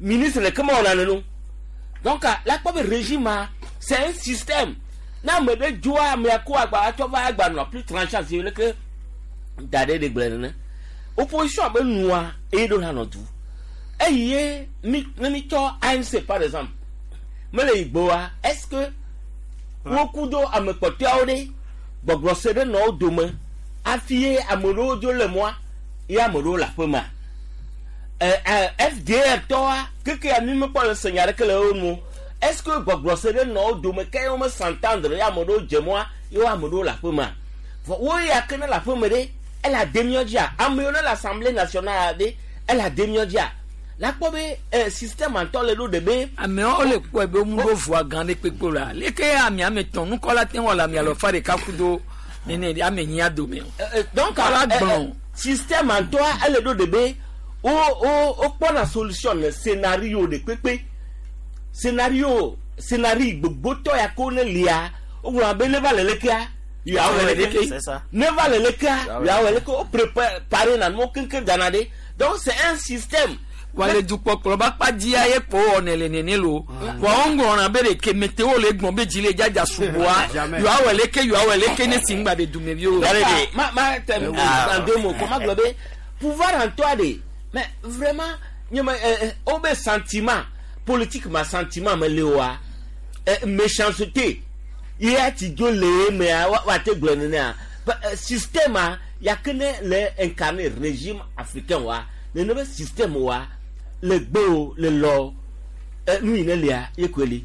S22: ministre le kema wɔna nenu donc la kpɔ be régime a c'est un système na ame ɖe dzoa amea ko agba atsɔ va agba nɔ plus tranchant si leke da ɖe ɖe gblẽ nene opposition be nua eye ɖo la nɔ du eye mi ne mi tsɔ ANC par exemple mele yi gboa est-ce que woku do ame kpɔtɔeawo ɖe gbɔgblɔ se ɖe nɔ wo dome hafi ye ame ɖewo dzo le mɔa ye ame ɖewo le aƒe mea FDR tɔa keke ya mi mekpɔ le se nya ɖeke le wo nu est-ce que gbɔgblɔ se ɖe nɔ wo dome ke wo me s'entendre ye ame ɖewo dze mɔa ye wo ame ɖewo le aƒe mea vɔ wo ya ke ne le aƒe me ɖe ele ade míɔ dzia ame yiwo ne le assemblée nationale ɖe ele ade míɔ dzia la kpɔ be système ŋutɔ le ɖo ɖe be.
S1: Amewo le kpɔe be womu ɖo voa gã ɖe kpekpe la leke ame ame tɔn nukɔla te wɔ le ame alɔfa ɖeka kudo nene ame nyia dome o.
S22: Donc
S1: Kɔla gblɔ.
S22: Système ŋutɔa ele ɖo ɖe be wo wo wokpɔna solution le scénario ɖe kpekpe scénario scénario gbogbotɔ ya ko ne lia wogblɔ be ne va le lekea yawo le leke ne va le lekea yawo le leke wo préparé na nuwo keŋkeŋ dana ɖe donc c'est un système.
S1: Wale dukpɔkplɔ ba kpa dzia ye kpo wɔnɛ le nene lo wa wo ŋgɔna be ɖeke metewo le gbɔn be dzi le dzadza sugbɔa yewoawɔ leke yewoawɔ leke ne si ŋgba de dumeviwo.
S22: Ma ma tɛ en deux mots comment gblɔ be pouvoir en toi de mais vraiment nye me wo be sentiment politique ma sentiment me le oa méchanceté ye ati dzo le mea wa te gblɔ nenea système a ya ke ne le incarner régime africain wa nene be système wa le gbe o le lɔ Nu yi ne lia ye koe li.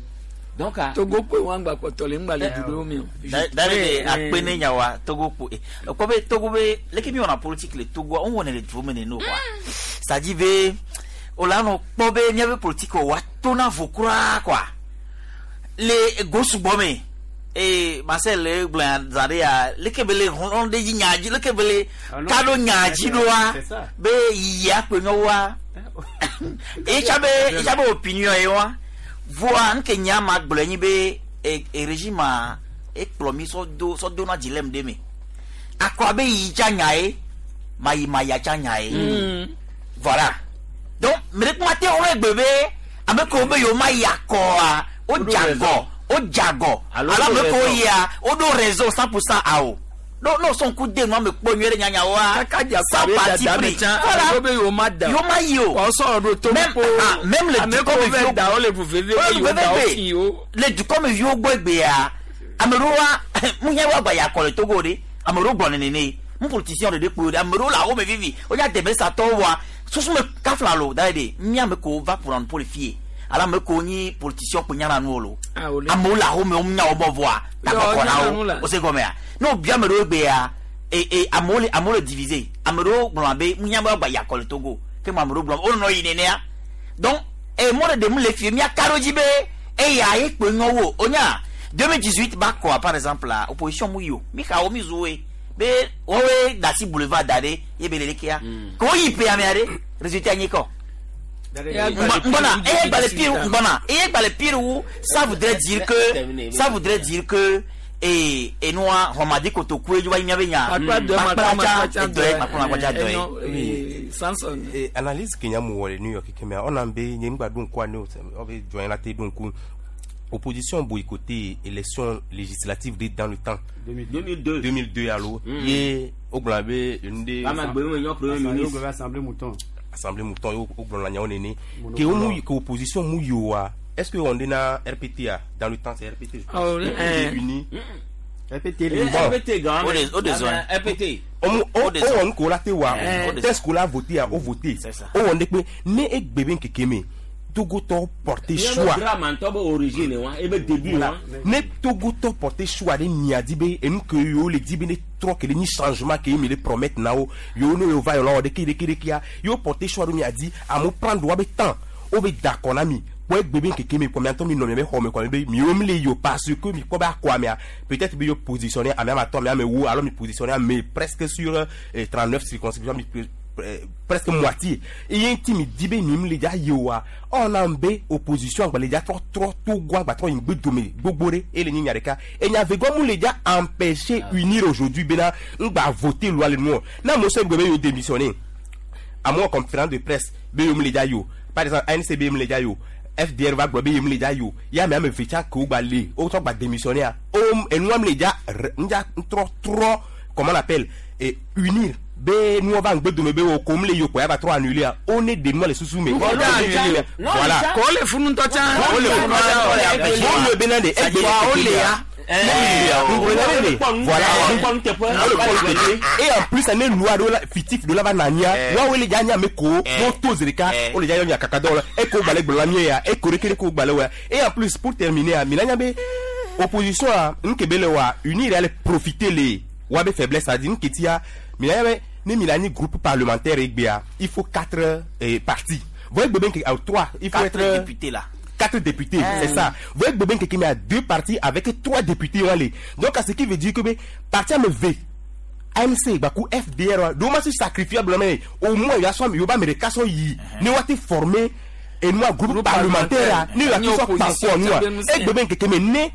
S22: Donc a.
S1: Togo kpe wɔn gba kpɔtɔ le ŋgba le du ɖewo me o.
S21: David akpe ne nyawa Togo kpo ekpɔ be Togo be leke mi wɔna politique le Togoa wo wɔnɛ le duwo me nene o quoi. C'est-à-dire be wola nɔ kpɔ be míaƒe politique wa tona vo kura quoi. Le go sugbɔ me ee Marcel le gblɔ zã ɖe ya leke be le hlɔ̃ ɖe dzi nya dzi leke be le ka ɖo nya dzi ɖoa be yiyia kpe nyɔwoa etsa be etsa be opinion ye wa voa nke nya ma gblɔ nyi be e e régime a ekplɔ mi sɔ do sɔ do na dilemme ɖe me akɔ abe yi tsa nya ye mayi maya tsa nya ye voilà donc me ɖe kuma te wɔn egbe be ame kewo be yewo ma yi akɔa wo dze agɔ wo dze agɔ alo ame kewo yia woɖo réseau 100% awo no no sɔn ku de nua me kpɔ nyuie ɖe nyanyawoa sans parti pris
S1: voilà be yewo ma da
S21: yewo ma yi o
S1: wọ́n sọ̀rọ̀ ɖo to
S21: même ah même le
S1: ame
S21: dukɔ
S1: kewo
S21: me
S1: vɛ
S21: viwo
S1: da wo le ʋu veve be yewo da wo fi wo.
S21: le dukɔmeviwo gbɔ egbea ame ɖewoa nuhiã woagba yi akɔ le Togo ɖe ame ɖewo gblɔ nenene mu politicien ɖeɖe kpoe ɖe ame ɖewo le awo me vivi wodza deme satɔwo wa susu me kafla lo da ɖe mía ame kewo va ƒona nuƒo le fie alo ame kewo nyi politicien kpo nyana nuwo lo amewo le awo me wo nya wo bɔ vɔa tagbɔkɔ na wo wo se gɔmea ne wobia ame ɖewo egbea e e amewo le amewo le diviser ame ɖewo gblɔna be nuhiã be woagba yi akɔ le Togo ke mo ame ɖewo gblɔ wonɔ yi nenea donc e mɔ ɖe ɖem le fie míaka ɖo dzi be eya ye kpe nyɔ wo onya 2018 ba kɔa par exemple la opposition mu yi o mi xa wo mi zu woe be wɔwoe da asi boulevard da ɖe ye be le lekea ke wo yi ƒea mea ɖe résultat nyi kɔ ngbɔna eye gba le pire ngbɔna eye gba le pire wu ça voudrait dire que ça voudrait dire que ee enua xɔmadi kotoku ye va yi miabe nya makplatsa edɔe makplatsa dɔe.
S1: Oui. Samson.
S23: Eh, analyse ke nya mu wɔ le New York ke mea ɔna be nye ŋgba ɖo ŋkua ne o ɔbe jɔn la te ɖo ŋku opposition boycotté élection législative de dans le temps
S22: 2002
S23: 2002 alo ye wogblɔna be enu ɖe
S22: Ama gbe me nyɔ premier ministre.
S17: Assemblée mouton.
S23: assemblée mouton ye wogblɔna nyawo nene ke wo mu ke opposition mu yi oa est-ce que on est na RPT a dans le temps c'est RPT je pense.
S1: Ah, oui, eh.
S23: uni
S17: RPT
S23: Bon.
S22: RPT gan.
S21: O de zɔn.
S22: RPT.
S23: o
S21: O de
S23: wɔ nuko la te wa
S21: Eh.
S23: test ko la voté a o voté o wɔ ne kpe ne egbe be nkeke me Togotɔ porté choix
S22: Drame ŋutɔ be origine wa ebe début wa.
S23: ne Togotɔ porté choix ɖe mia di be enu ke yewo le di be ne trɔ ke le nyi changement ke ye mi le promettre na wo yewo ne yewo va yewo la wɔ ɖeke ɖeke ɖekea yewo porté choix ɖo mia di amewo prendre woabe temps wo be da akɔ na mi kpɔ egbe be nkeke me kɔ mia ŋutɔ mi nɔ miabe xɔ me kɔ mi be miwo mi le yi o parce que mi kpɔ be akɔ amea peut-être be yewo positionné ame ame atɔ̃ ame ame ewo alo mi positionné ame presque sur 39 circonscriptions mi presque moitié eye ŋuti mi di be mi mi le dza yi oa ɔna be opposition agba le dza trɔ trɔ Togo agba trɔ yi gbe dome gbogbo ɖe ele nyi nya ɖeka enya vegɔ mu le dza empêcher unir aujourd'hui bena ŋgba voter loi le nuɔ na amewo sɔ gbe be yewo démissionner amewo conférence de presse be yewo mi le dza yi o par exemple ANC be yewo mi le dza yi o FDR va gblɔ be yewo mi le dza yi o ya ame ame eve tsã ke wo gba le wo trɔ gba démissionner a wo enua mi le dza ŋdza trɔ trɔ comment on appelle et unir be nuwo va ŋgbe dome be wo ko mi le yi o kɔ ya va trɔ annuler a wo ne de nua le susu me voilà
S1: Kò le funu ŋutɔ tsã.
S23: Kò le funu ŋutɔ tsã. Wo le bena de egbe
S1: Wa wo le ya.
S23: Voilà. Et en plus, ane loi ɖo la fictif ɖo la va nanya. Woawoe le dza nya ame ko wo to zi ɖeka wo le dza yɔ nya kaka dɔw la eko gbalẽ gblɔ la mie ya eko ɖeke ɖeke wo gbalẽ wɔ ya. Et en plus, pour terminer, a mina nya be opposition a nu ke be le wa unir ya le profiter le woabe faiblesse a di nu ke tia mina nya be ne mina nyi groupe parlementaire egbea il faut quatre partis. Voyez bebe nke trois il faut
S21: Quatre
S23: être
S21: députés là.
S23: 4 députés, c'est ça. Vous voyez, Bobin Kekeme a deux partis avec 3 députés. Allez. Donc, à ce qui veut dire que, parti à me V, ANC, Bakou, FDR, donc, moi, c'est sacrifiable, mais au moins, il y a son, il y a des yi. Nous avons été formés, et nous, groupe parlementaire, nous avons été formés, nous, et Bobin Kekeme, né,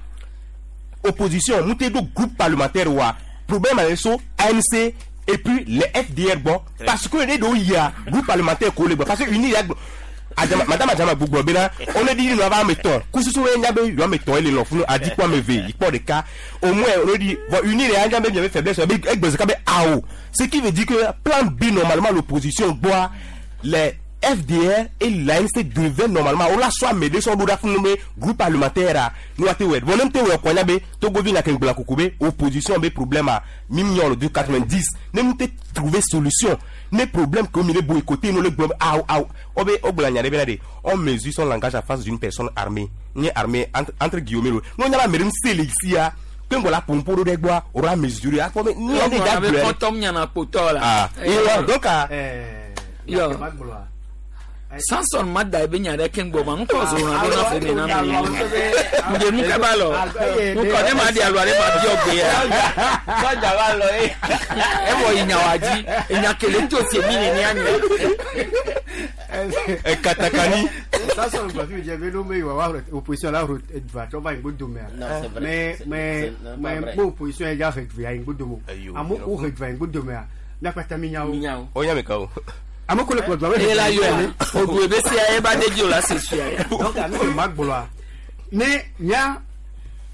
S23: opposition, nous avons groupe parlementaire, problème avec ça, ANC, et puis les FDR, bon, parce que les deux, il y a groupe parlementaire, parce que il y a Adjama, madame Adjama Gbogbo bena, on a dit nous avons un ton. Kususu we nyabe yo ame ton ele lofunu adi kwa me ve, il de cas. Au moins on a dit bon unir les nyabe bien faiblesse avec egbe ka be ao. Ce qui veut dire que plan B normalement l'opposition boit les FDR et l'ANC devaient normalement o la sɔ ame ɖe sɔ ɖo ɖa funu be groupe parlementaire a ne wa te wɛ bon ne te wɛ kɔnya be Togovi na ke ŋgblɔ koko be opposition be problème a mi miɔ le de 90 ne mu te trouver solution ne problème que mi le boycotter no le gblɔ be aw aw o be o gblɔ nya ɖe bena de on mesure son langage en face d'une personne armée nye armée entre guillemets lo ne o nya be ame ɖe ŋu se le sia ke ŋgɔ la pompo ɖo ɖe gbɔa o la mesurer akpɔ be nu ya ne da
S1: Be
S23: gblɔe
S1: kɔntɔm nyana kpotɔ la.
S23: ah et donc ah
S1: Yo. Samson ma da ebe nya ɖe ke ŋgbɔ ma ŋkɔ zona ɖo na femi na mi. Ŋdze nu kaba lɔ. Ŋkɔ ne ma di alo ale ma biɔ gbe ya.
S22: Sɔdza va lɔ ye.
S1: Evɔ yi nya wa dzi. Enya kele to se mi nenia nya.
S23: Katakani.
S17: Samson gblɔ fi mi dze be no me wa wa opposition la ro edua tsɔ va ŋgbo dome
S22: Non, c'est vrai.
S17: mais
S22: C'est-
S17: mais
S22: c'est- non,
S17: mais
S22: pas vrai.
S17: bo opposition ya dza he dua ŋgbo dome o amewo ko he dua ŋgbo domea miakpata mi nyawo
S23: o nya me ka o
S17: ame ko le kplɔ dua be
S1: Eye la yɔ. Odu ebe sia eba de dzi o la se suya ya.
S17: Donc ame ko ma gblɔa ne nya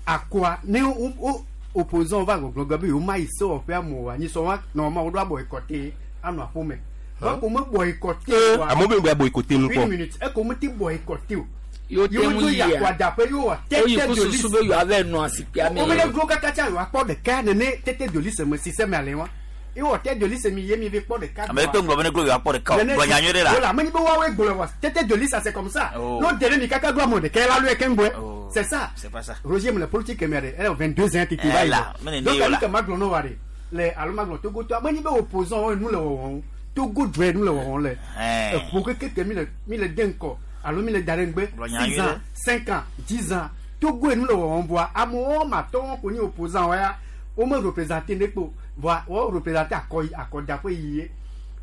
S17: akɔa ne wo wo opposant va gbɔgblɔ gbe be yewo ma yi sewɔƒe amewoa nyisɔ wa nɔma wo ɖo abɔ ekɔte anɔ aƒome donc wo me bɔ ekɔte oa
S23: amewo be ŋgɔ boycotter nu
S17: une
S23: kpɔ
S17: minute eko me te bɔ ekɔte o
S1: Yo te
S17: yewo
S1: ŋu
S17: do
S1: yia.
S17: yakɔadaƒe yewo wɔ
S1: Oyi
S17: tete
S1: ku
S17: de
S1: susu
S17: liste
S1: be yewoa va nɔ asikpea me.
S17: wo me ɖe glo kaka tsa yewoakpɔ ɖeka nene tete de liste me sise me ale wa ewɔ tete de liste mi ye mi vi kpɔ ɖeka
S21: Ame kpe ŋgɔ be ne glo yewoakpɔ ɖeka o. Gblɔ nya nyuie ɖe la.
S17: Voilà, mais ni wa we gblɔ wa tete de liste c'est comme ça.
S21: Oh.
S17: No délai mi kaka glo mo de kela lo ekengbe. C'est ça.
S21: C'est pas ça.
S17: Roger me le politique me de, elle a 22 ans titi
S21: Eh
S17: va.
S21: là, mais
S17: Donc
S21: ne yo
S17: ali
S21: la.
S17: ka ma gblɔ no wa de. Le alo ma gblɔ Togo to, mais ni be opposant o nu le wo Togo dre nu le wo le.
S21: Eh.
S17: E pour que que mi le mi le denko alo mi le darengbe
S21: Gblɔ nya
S17: 6
S21: nyuie
S17: ans,
S21: ɖe.
S17: 5 ans, 10 ans. Togo nu le wo voa amewo ma tɔ ko ni opposant wa ya. Wo me représenter ne kpo. Voa wo représenter akɔ akɔdaƒe yie.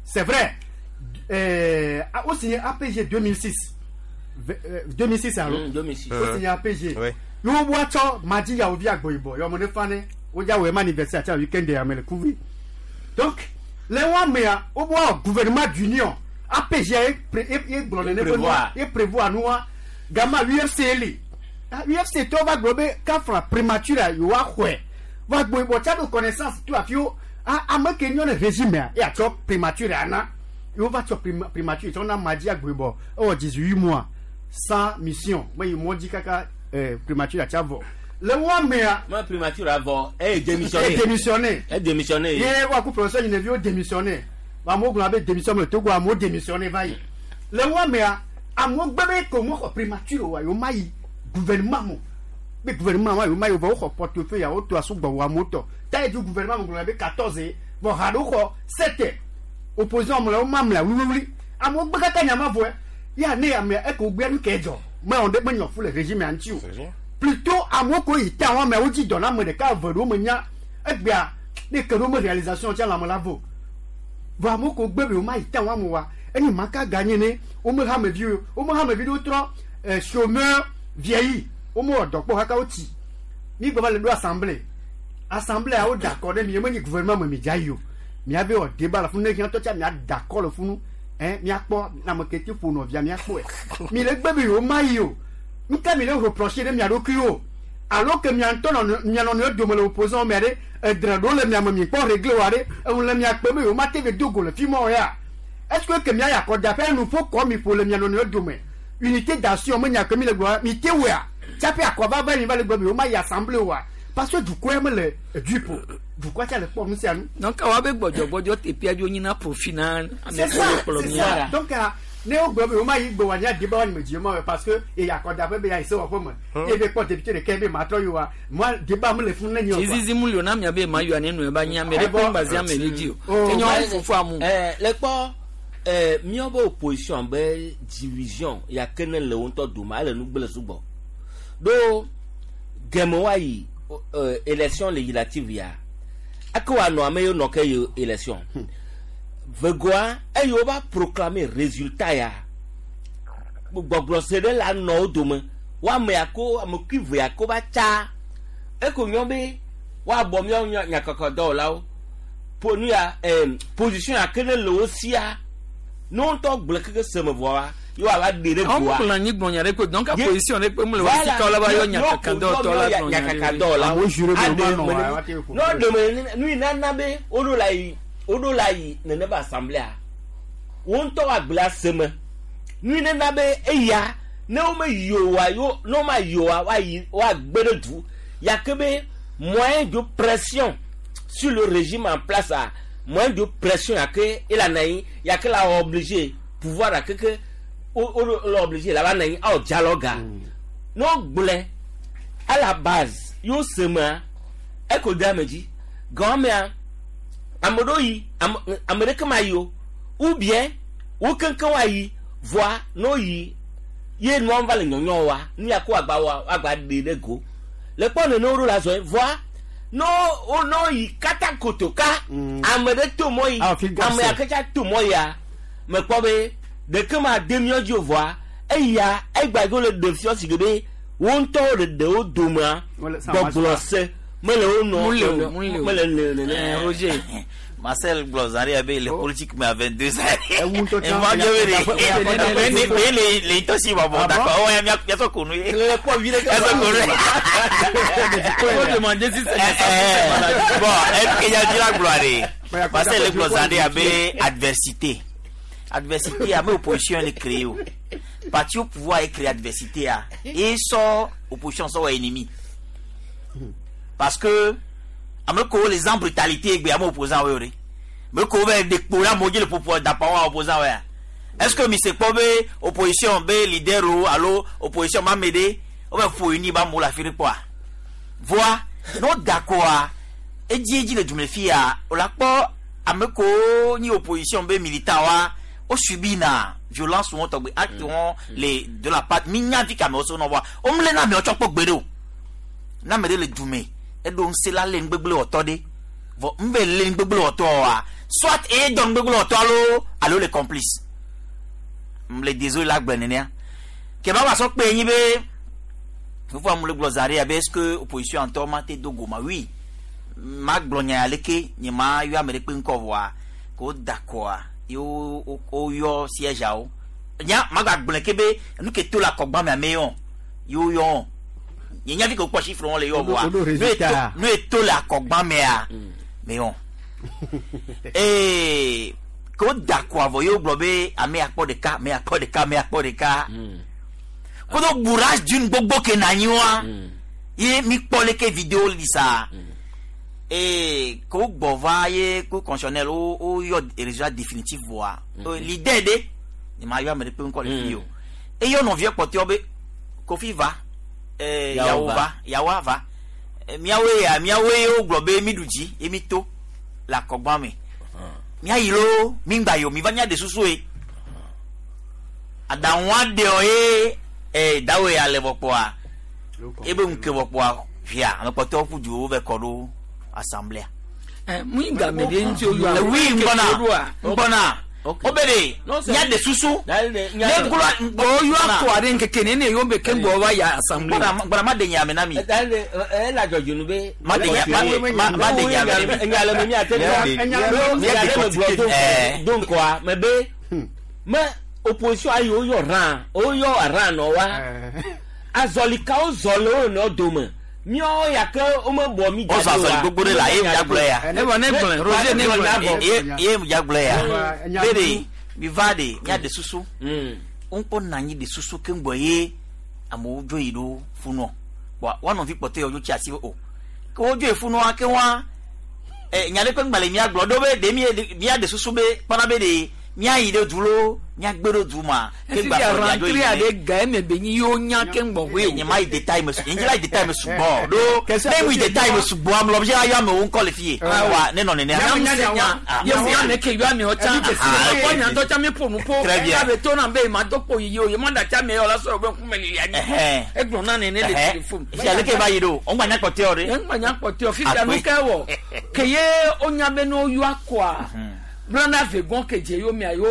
S17: C'est vrai. Au signé APG 2006. 2006 alors.
S22: 2006.
S17: Au signé APG.
S23: Ouais.
S17: Yo bo tsɔ madi ya ovi agbo yibɔ yɔ mo ne fa ne wo dza wɔ ema anniversaire tsa weekend ya me le kuvi. Donc le wa mea wo bo gouvernement d'union APG ye pré ye ye gblɔ nene be nua ye prévoir nua gama UFC li. Ah, UFC tɔ va gblɔ be kafra prématuré a yewoa xɔe. Va agbo yibɔ tsa do connaissance to afi wo ah ame ke nyɔ le régime a ye atsɔ prématuré ana yewo va tsɔ primature tsɔ na madi agboyibɔ ewɔ 18 mois sans mission me yi mɔ dzi kaka primature atsa vɔ le wɔn mea
S22: Ma primature avɔ e démissionné.
S17: e démissionné
S22: E démissionné.
S17: ye wa ku professeur yineviwo démissionné amewo gblɔ abe démission me le Togo amewo démissionné va yi le wɔn mea amewo gbe be ko mo xɔ primature wa yewo ma yi gouvernement mo be gouvernement wa yewo ma yi vɔ woxɔ portefeuille ya woto asugbɔ wɔ amewo tɔ ta yi du gouvernement mo gblɔ abe 14 vɔ ha ɖewo xɔ 7 opposition mo le wo ma mlea wliwliwli amewo gbe kaka nyama vɔe ya ne amea eko gbe nu ke dzɔ me wɔn ɖe me nyɔ fu le régime ya ŋuti o plutôt amewo ko yi ta wɔn amewo dzi dɔ na ame ɖeka eve ɖewo me nya egbea ne ke ɖewo me réalisation tsa lãme la vo vɔ amewo ko gbe be wo ma yi ta wɔn amewo wa enyi ma ka ganye ne wo me hameviwo wo me hamevi ɖewo trɔ chômeur vieilli wo me wɔ dɔ kpɔ kaka wo tsi mi gbɔ va le ɖo assemblée assemblée wo da akɔ ɖe mi ye me nyi gouvernement me mi dza yi o miave wɔ débat le funu ne hiã tɔ tsa mia da akɔ le funu ɛn miakpɔ ame ke ti ƒo nɔvia miakpɔe mi le gbe be yewo ma yi o nka mi le reprocher ɖe mia ɖokui o alo ke mia ŋutɔ nɔ mia nɔnɔewo dome le opposant mia ɖe edre ɖewo le mia me mi kpɔ réglé wa ɖe eŋu le mia kpe be yewo ma te ve do go le fi ma o ya est ce que ke mia yi akɔdaƒe nuƒo kɔ mi ƒo le mia nɔnɔewo dome unité d'action me nya ke mi le gblɔ mi te wɔa tsaƒe akɔva va mi va le gblɔ be yewo ma yi assemblée oa parce que dukɔa me le edui ƒo dukɔa tsa le kpɔ nu sia nu.
S1: Donc awa be gbɔdzɔgbɔdzɔ teƒea dzo nyina profit na ame
S17: C'est
S1: kewo
S17: ça,
S1: le kplɔ
S17: c'est
S1: mia.
S17: ça. Donc, ne wo gblɔ be wo ma yi gbe wa nya di be wa me dzi ma wɔ parce que eyi akɔdaƒe be ya yi sewɔƒe me ye be kpɔ député ɖeka be ma trɔ yi wa moi débat me le funu ne nye o quoi.
S1: Zizizi mu li o na mia be ma yɔ ne nu eba nyi ame ɖe kpe ŋgba ame ɖe dzi o. Enyo wo fofo amu.
S22: Le kpɔ míawo opposition be division ya ke ne le wo ŋutɔ dome ele nu gblẽ sugbɔ ɖo gɛmɛ wa yi élection législative ya eke wa nɔ ame yiwo nɔ ke yi élection vegoa eye wo va proclamer résultat ya gbɔgblɔ se ɖe la nɔ wo dome wo ame ya ko ame kui ve ya ko va tsa eko nyɔ be woabɔ míawo nyakɔkɔdɔwɔlawo po nu ya position ya ke ne le wo sia ne wo ŋutɔ gblẽ keke seme vɔa ye woava ɖe ɖe
S1: Awo
S22: goa
S1: kplɔ anyi gblɔ nya ɖe ko donc
S22: Ye-
S1: position ɖe kpe mu le wa
S22: Voilà.
S1: sika wo la va yɔ
S22: Yo-
S1: nyakakadɔwɔtɔ la gblɔ nya ɖe.
S22: nyakakadɔwɔlawo
S17: Amewo juré be
S22: aɖe
S17: womanɔ
S22: me
S17: wa,
S22: ne-
S17: woate ƒo
S22: ne woɖe me ne- nu yi nana be woɖo la yi woɖo la yi nene be assemblée wo ŋutɔ woagblẽ aseme Nu ne na be eya ne wo me yi oa yo ne wo ma yi oa woayi woagbe ɖe du ya ke be moyen de pression sur le régime en place a moyen de pression ya ke ela na anyi ya ke la obligé pouvoir a keke wo wo le obligé la va na anyi awɔ dialogue ne wogblɔe à la base yewo se mea eko de ame dzi gɔmea ame ɖewo yi ame ame ɖeke ma yi o ou bien wo keŋkeŋ woayi vɔa ne woyi ye nua va le nyɔnyɔ wa nu ya ko agba wa agba ɖe ɖe go le kpɔ nene wo ɖo la zɔ vɔa ne wo ne woyi kata kotoka ame ɖe to mɔ yi ame ya ke tsa to mɔ ya mekpɔ be ɖeke ma de míɔ dzi o vɔa eya egba yi le ɖe fiɔ si ke be wo ŋutɔwo le ɖewo domea gbɔgblɔ se mele wo nɔ mele le nene.
S1: Roger.
S21: Marcel gblɔ zã ɖe be le politique me à 22 ans.
S17: Ewu ŋutɔ tsã.
S21: Eva bia be de le le le ŋutɔ si bɔbɔ d'accord ouais mia mia sɔ konu ye.
S22: Le kpɔ vi ɖe ke.
S21: Mia sɔ konu ye.
S1: Faut demander si c'est
S21: Bon, est-ce que ya di la gblɔ de Marcel le gblɔ zã ɖe abe adversité. Adversité ame opposition le créé o. Parti au pouvoir est créé adversité a. Et sɔ opposition sɔ wɔ ennemi. Parce que ame ko les en brutalité egbe ame opposant wo de me ko be de kpo la moji le popo dapa wa opposant wa est-ce que mi se kpɔ be opposition be leader o alo opposition ma me de o be fo ni ba mo la firi kpɔa voa no d'accord edzi edzi le dume fia o la kpɔ ame ko ni opposition be militant wa o subi na violence wɔn tɔgbe acte wɔn le de la part mi nya vi kame wo so nɔ wa o mle na amewo tsɔ kpɔ gbe ɖe o na ame ɖe le dume eɖo ŋusẽ la lé nugbegble wɔtɔ ɖe vɔ ŋbɛ lé nugbegble wɔtɔ wa soit eye dɔ nugbegble wɔtɔ alo alo le complice m le désolé la gbe nenea kɛmɛ wa sɔ kpe nyi be fofo amu le gblɔ za ɖe abe est ce que opposition ŋutɔ ma te do go ma oui ma gblɔ nya ya leke nye ma yɔ ame ɖe kpe ŋkɔ vɔa ko da kɔa ye wo wo wo yɔ siège awo nya ma gba gblẽ ke be nu ke to le akɔgba me ame yɔ ye wo yɔ nye nya fi ko kpɔ chiffre wɔn le yɔ vɔa
S17: Wo ɖo résultat.
S21: nu ye to le akɔgba mea me yɔ ee ko da kɔa vɔ ye wo gblɔ be ame akpɔ ɖeka ame akpɔ ɖeka ame akpɔ ɖeka kodo bourrage d'une gbogbo ke na anyi wa ye mi kpɔ leke vidéo li sa ee ko gbɔ va ye ko constitutionnel wo wo yɔ résultat définitif vɔa leader de nye ma yɔ ame ɖe kpe ŋkɔ le fi o eyɔ nɔvia kpɔtɔewo be kofi va ee
S22: Yawo
S21: yawo
S22: va.
S21: va yawo va miawoe ya miawoe wo gblɔ be mi ɖu dzi ye mi to le akɔgba me miayi loo mi ŋgba yi o mi va nya de susu ye aɖaŋua ɖewo ye ee dawe ya le vɔ kpɔa ebe ŋke vɔ kpɔa via ame kpɔtɔewo ƒu du wo vɛ kɔ ɖo assemblée
S1: mu game ɖe ŋuti o yɔ
S21: oui ŋgbɔna ŋgbɔna o bɛ de nya de susu ne gblɔ
S1: o yɔ akɔ aɖe ŋkeke ne ne yɔ be ke ŋgbɔ va ya assemblée
S21: ŋgbɔna ma de nya me na mi
S22: ela dzɔdzɔ nu be.
S21: ma de nya ma ma de nya me na mi
S22: nya le me miate ŋu nya le me gblɔ do do ŋkɔa me be me opposition ayi wo yɔ ran wo yɔ ran nɔ wa azɔlikawo zɔ le wo nɔ dome míawo ya ke wo me bɔ mi
S21: o zɔ azɔli gbogbo ɖe la ye mu dza gblɔ ya
S1: ne bɔ ne gblɔe Roger ne gblɔe
S21: ye ye mu dza gblɔ ya be de mi va de mia de susu ŋkpɔ na anyi de susu ke ŋgbɔ ye amewo dzo yi ɖo funɔ wa wa nɔvi kpɔtɔ yawo dzo tsi asi o ke wo dzo yi funɔa ke wa ɛ nya ɖe ƒe ŋgba le mia gblɔ ɖo be de mi mia de susu be kpɔna be de mia yi ɖe du lo mia gbe ɖo du ma ke
S1: efi
S21: gba
S1: ya
S21: sɔ mia dzo yi
S1: rentrée
S21: ɖe
S1: aɖe ga eme be nyi yewo nya ke ŋgbɔ hoe
S21: nye ma yi détail me nye la yi détail me sugbɔ ɖo ne mu yi détail me sugbɔ ame lɔ bi ayɔ amewo ŋkɔ le fi ye wa ne nɔ nenea
S1: yevu ya me ke yɔ amewo tsã kɔ nya ŋutɔ tsã mi ƒo nu ƒo
S21: Très bien.
S1: ebe to na be ma do kpo yiyi o ye ma da tsa me yɔ la sɔrɔ be ŋkume lili anyi egblɔ na nene le téléphone.
S21: fi aleke va yi ɖo o ŋgba nya kpɔtɔe o de
S1: ŋgba nya kpɔtɔe o fifia nu ke wɔ ke ye o nya be ne woyɔ akɔa blana vegbɔn ke dze yo mia yo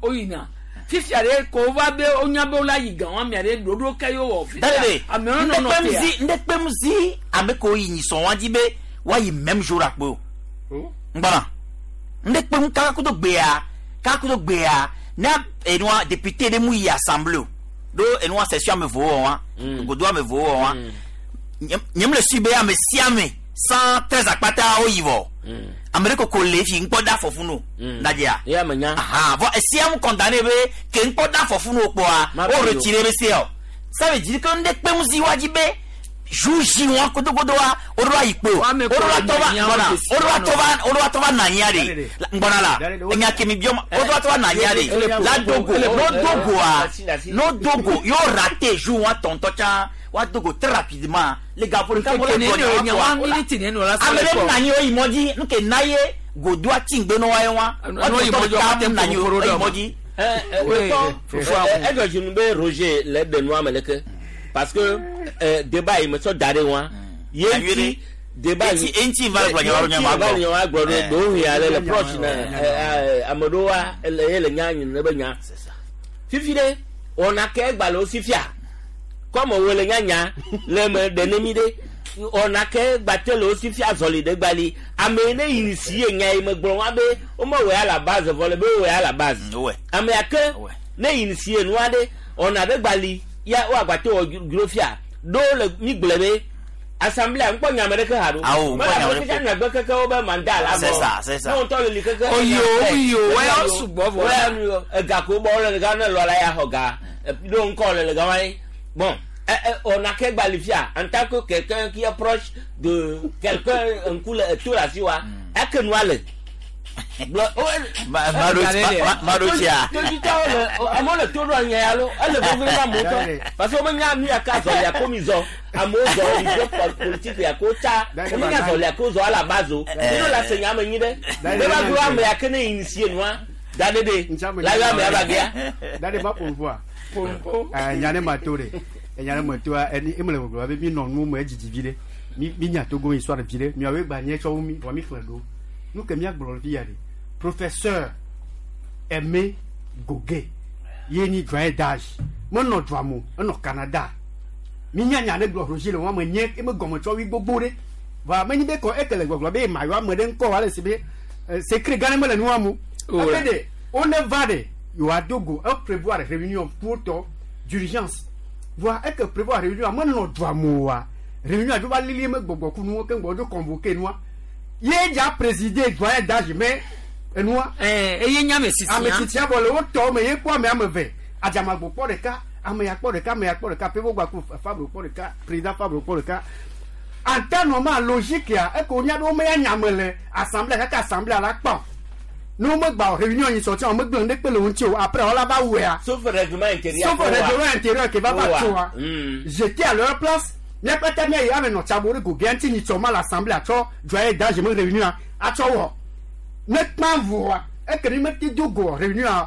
S1: o yina fifia ɖe ko va be o nya be o la yi gan wa mia ɖe ɖoɖo ke yo wɔ fifia
S21: Dale
S1: amewo nɔ nɔ tea
S21: ndekpem ŋdekpem zi ame ko yi nyisɔn wa dzi be wa yi même jour akpe o ŋgbɔna ndekpem kakakudo gbea kakakudo gbea ne enua député ɖe mu yi assemblée o ɖo enua session ame vowo wɔ wa godo ame vowo wɔ wa nye mu le sui be ame sia ame 113 akpata wo yi vɔ Ame ɖe koko le fi ŋkpɔ da afɔ funu ladzea.
S22: Ya me nya.
S21: Aha, vɔ esia mu condamné be ke ŋkpɔ da afɔ funu kpɔa, o retiré be sia o. Ça veut dire que ŋɖe kpe ŋu zi wa dzi be jour J wa godogodoa, o ɖo ayi kpo. O ɖo atɔ va gbɔna, o ɖo atɔ va, o ɖo atɔ va na anyia ɖe. Gbɔna la, enya ke mi biɔ ma, o ɖo atɔ va na anyia ɖe. La dogo, no dogoa, no dogo, yo raté jour wa tɔntɔ tsã, wa dogo très rapidement. Le gaƒo ɖeka mo la
S1: Nkeke
S21: gbɔ
S1: nene
S21: nya
S1: o,
S21: wa
S1: one minute nene o la
S21: Ame
S1: sɔ
S21: ɖe
S1: le
S21: na anyi o yi mɔ dzi, nu ke na ye godoa tsi ŋgbe nɔ wa ye wa.
S1: No yi mɔ dzi,
S21: Wa
S1: wa te
S21: na anyi o
S1: ƒo
S21: yi
S1: ɖe
S21: mɔ dzi.
S22: Ɛdɔ dzinu be Roger le ɖe nua me leke parce que débat yi me sɔ da ɖe wa ye ŋuti débat yi
S21: Enti va gblɔ nya wa nya wa
S22: va
S21: gblɔ.
S22: nya wa gblɔ ɖo ɖewo hia le le proche na ame ɖewo wa ele ye le nya nyi ne be nya fifi ɖe wɔna ke egba le wo si fia kɔme wo le nyanya le me ɖe ne mi ɖe wɔna ke gbate le wo si fia zɔli ɖe gbali ame yi ne yi si ye nya yi me gblɔ wa be wo me wɔ ya la base vɔ le be wo wɔ ya la base ame ya ke ne yi si ye nua ɖe wɔna ɖe gbali ya wo agbate wɔ dzro fia ɖo le mi gblɔ be assemblée ŋkpɔ nyame ɖeke ha ɖo
S21: Awo, ŋkpɔ nyame
S22: mele
S21: ɖeke.
S22: ame ɖeke keke wo be mandat la
S21: C'est ça, c'est ça.
S22: ne ŋutɔ le li keke
S1: Oyo, oyo, wɛ sugbɔ vɔ.
S22: wɛ nu ega ko bɔ le ga ne lɔ la ya xɔ ga ɖo ŋkɔ le le ga wa ye bon on a ke gbali fia en tant que quelqu'un qui est proche de quelqu'un ŋku le eto le asi wa eke nua le
S21: Maɖotsia.
S22: totitɔwo le amewo le to ɖo anya ya lo ele vevie na amewo tɔ parce que womenya nu ya ka zɔli ya ko mi zɔ amewo zɔ mi zɔ politique ya ko tsa womenya zɔli ya ko zɔ ala base o mi la se nya me nyi ɖe ne ba gblɔ ame ya ke ne initier nua da ɖe ɖe la yɔ ame ya ba gea.
S17: Dade ma ƒo ƒua. Nya ne ma to ɖe. Enya ne ma toa eni emele gbɔgblɔ be mi nɔ nu me edzidzi vi ɖe. Mi mi nya Togo histoire vi ɖe. Miawoe gba nye tsɔ wu mi vɔ mi xlẽ ɖo. Nu ke míagblɔ le fi ya ɖe. Professeur Aimé Goguet ye nyi doyen d'âge. Menɔ dua me o, enɔ Canada. Mi nya nya ɖe gblɔ Roger le wɔn me nye eme gɔme tsɔ wi gbogbo ɖe. Vɔa menyi be kɔ eke le gbɔgblɔ be ma yɔ ame ɖe ŋkɔ wòale si be secret gã ɖe mele nua me o.
S1: Oh,
S17: Ebe ɖe wone va ɖe yewoado go e prévoir réunion pour d'urgence. Voa eke prévoir réunion menɔ dua me oa. Réunion dzo va lili eme gbɔgbɔ ku nuwo keŋ gbɔ wodzo convoqué nua. Ye dza présider doyen d'âge mais enua.
S1: Eye nye ame tsitsia.
S17: Ame tsitsia vɔ le wo tɔwo me ye kpɔ ame ame eve. Adzamagbo kpɔ ɖeka, ame ya kpɔ ɖeka, ame ya kpɔ ɖeka, Pevo gba ku Fabro kpɔ ɖeka, président Fabro kpɔ ɖeka. En temps normal logique ya eke wonya be wome ya nyame le assemblée kaka assemblée la kpɔ. Ne womegba o réunion yi sɔtsi wo megblẽ ŋɖe kpe le wo ŋuti o après wola va wɔea.
S22: Sauf règlement intérieur.
S17: Sauf règlement intérieur ke va va tsoa. J'étais à leur place. Míakpata mía yi ame nɔ tsabo ɖe goge ŋuti nyi tsɔ ma le assemblée atsɔ doyen d'âge me réunion atsɔ wɔ. Ne kpã voa eke mi mete do go réunion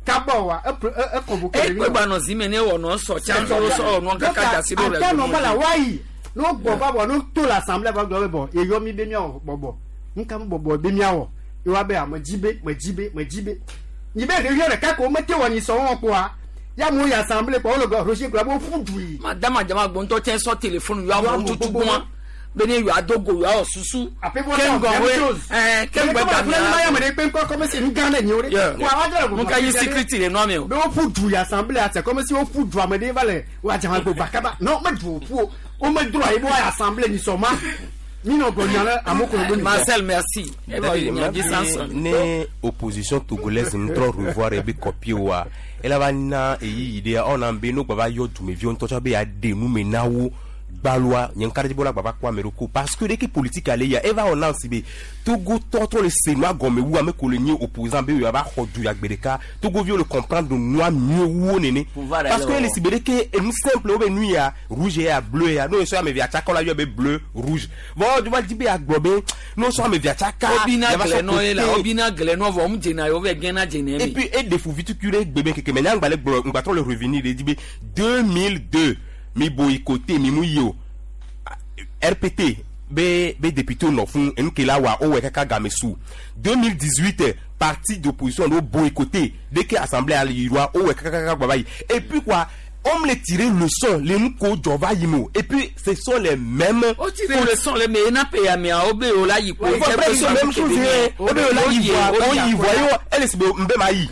S17: kaba oa e e convoqué
S1: Ekpe gba nɔ zi me ne wɔ nɔ sɔ tsã sɔ sɔ nɔ kaka dzasi ɖo
S17: En temps normal la woayi ne wogbɔ va vɔ ne woto le assemblée va gblɔ be bɔn eyɔ mi be miawɔ bɔbɔ nuka me bɔbɔ be miawɔ ye woabe ame dzi be me dzi be me dzi be nyi be réunion ɖeka ko womete wɔ nyi sɔ wɔn kpoa ya amewo yi assemblée kpoa wole gblɔ Roger gblɔ be woƒu du yi.
S1: Madame Adzamagbo ŋutɔ tsɛ sɔ téléphone yɔ amewo tutu gbɔa be ne yewoa do go yewoawɔ susu. Keŋgɔe Nuka yi security le nua me o.
S17: Be woƒu du yi assemblée c'est comme si woƒu du ame ɖe va le wo Adzamagbo gba kaba non me du woƒu o womedro ayi be woayi assemblée nyi sɔ ma mi nɔ gblɔ nya ɖe amewo ko le be mi.
S1: Marcel merci. Eva yi nya dzi Samson.
S23: Ne opposition togolaise ŋutɔ revoir ebe copie wa ela va na eyiyi ɖea ɔna be no gba va yɔ dumeviwo ŋutɔ tsɔ be yeaɖe nu me na wo gbaloa nye ŋka ɖe dzi be wola gba va kpɔ ame ɖoko parce que ɖeke politique ale ya eva wɔ na si be Togo tɔ trɔ le se nua gɔme wu ame ko le nye opposant be yewoava xɔ du ya gbe ɖeka Togoviwo le comprendre nua mieux wu wo nene
S22: Pouvoir
S23: parce que
S22: ale
S23: ele si be ɖeke enu simple wo be nu ya rouge ya bleu ya no sɔ ame evea tsaka wola yɔ be bleu rouge vɔ va di be agblɔ be no sɔ ame evea tsaka
S1: Obina
S23: yava sɔ
S1: gblẽ nɔ ye la
S23: côté.
S1: obina gblẽ nɔ vɔ mu dzena ye wovɛ gɛna dzena
S23: Et
S1: mi.
S23: puis, et des fous vitu kure bébé keke mais nyangba le gblɔ ngba trɔ le revenir le di be 2002 mi boycotté mi mu yi o RPT be be député nɔ fún enu ke la wa o wɛ kaka game su 2018 parti d'opposition do boycotté dès que assemblée ali yiriwa o wɛ kaka kaka gbaba yi et puis quoi on me le tirer leçon le nu ko dzɔ va yi mo et puis ce sont les mêmes.
S1: O tire leçon le me ena pe amea wo be o la yi ko.
S23: Il faut presque la même chose ye o be o la yi voa o yi voa ye o ele si be nbe ma yi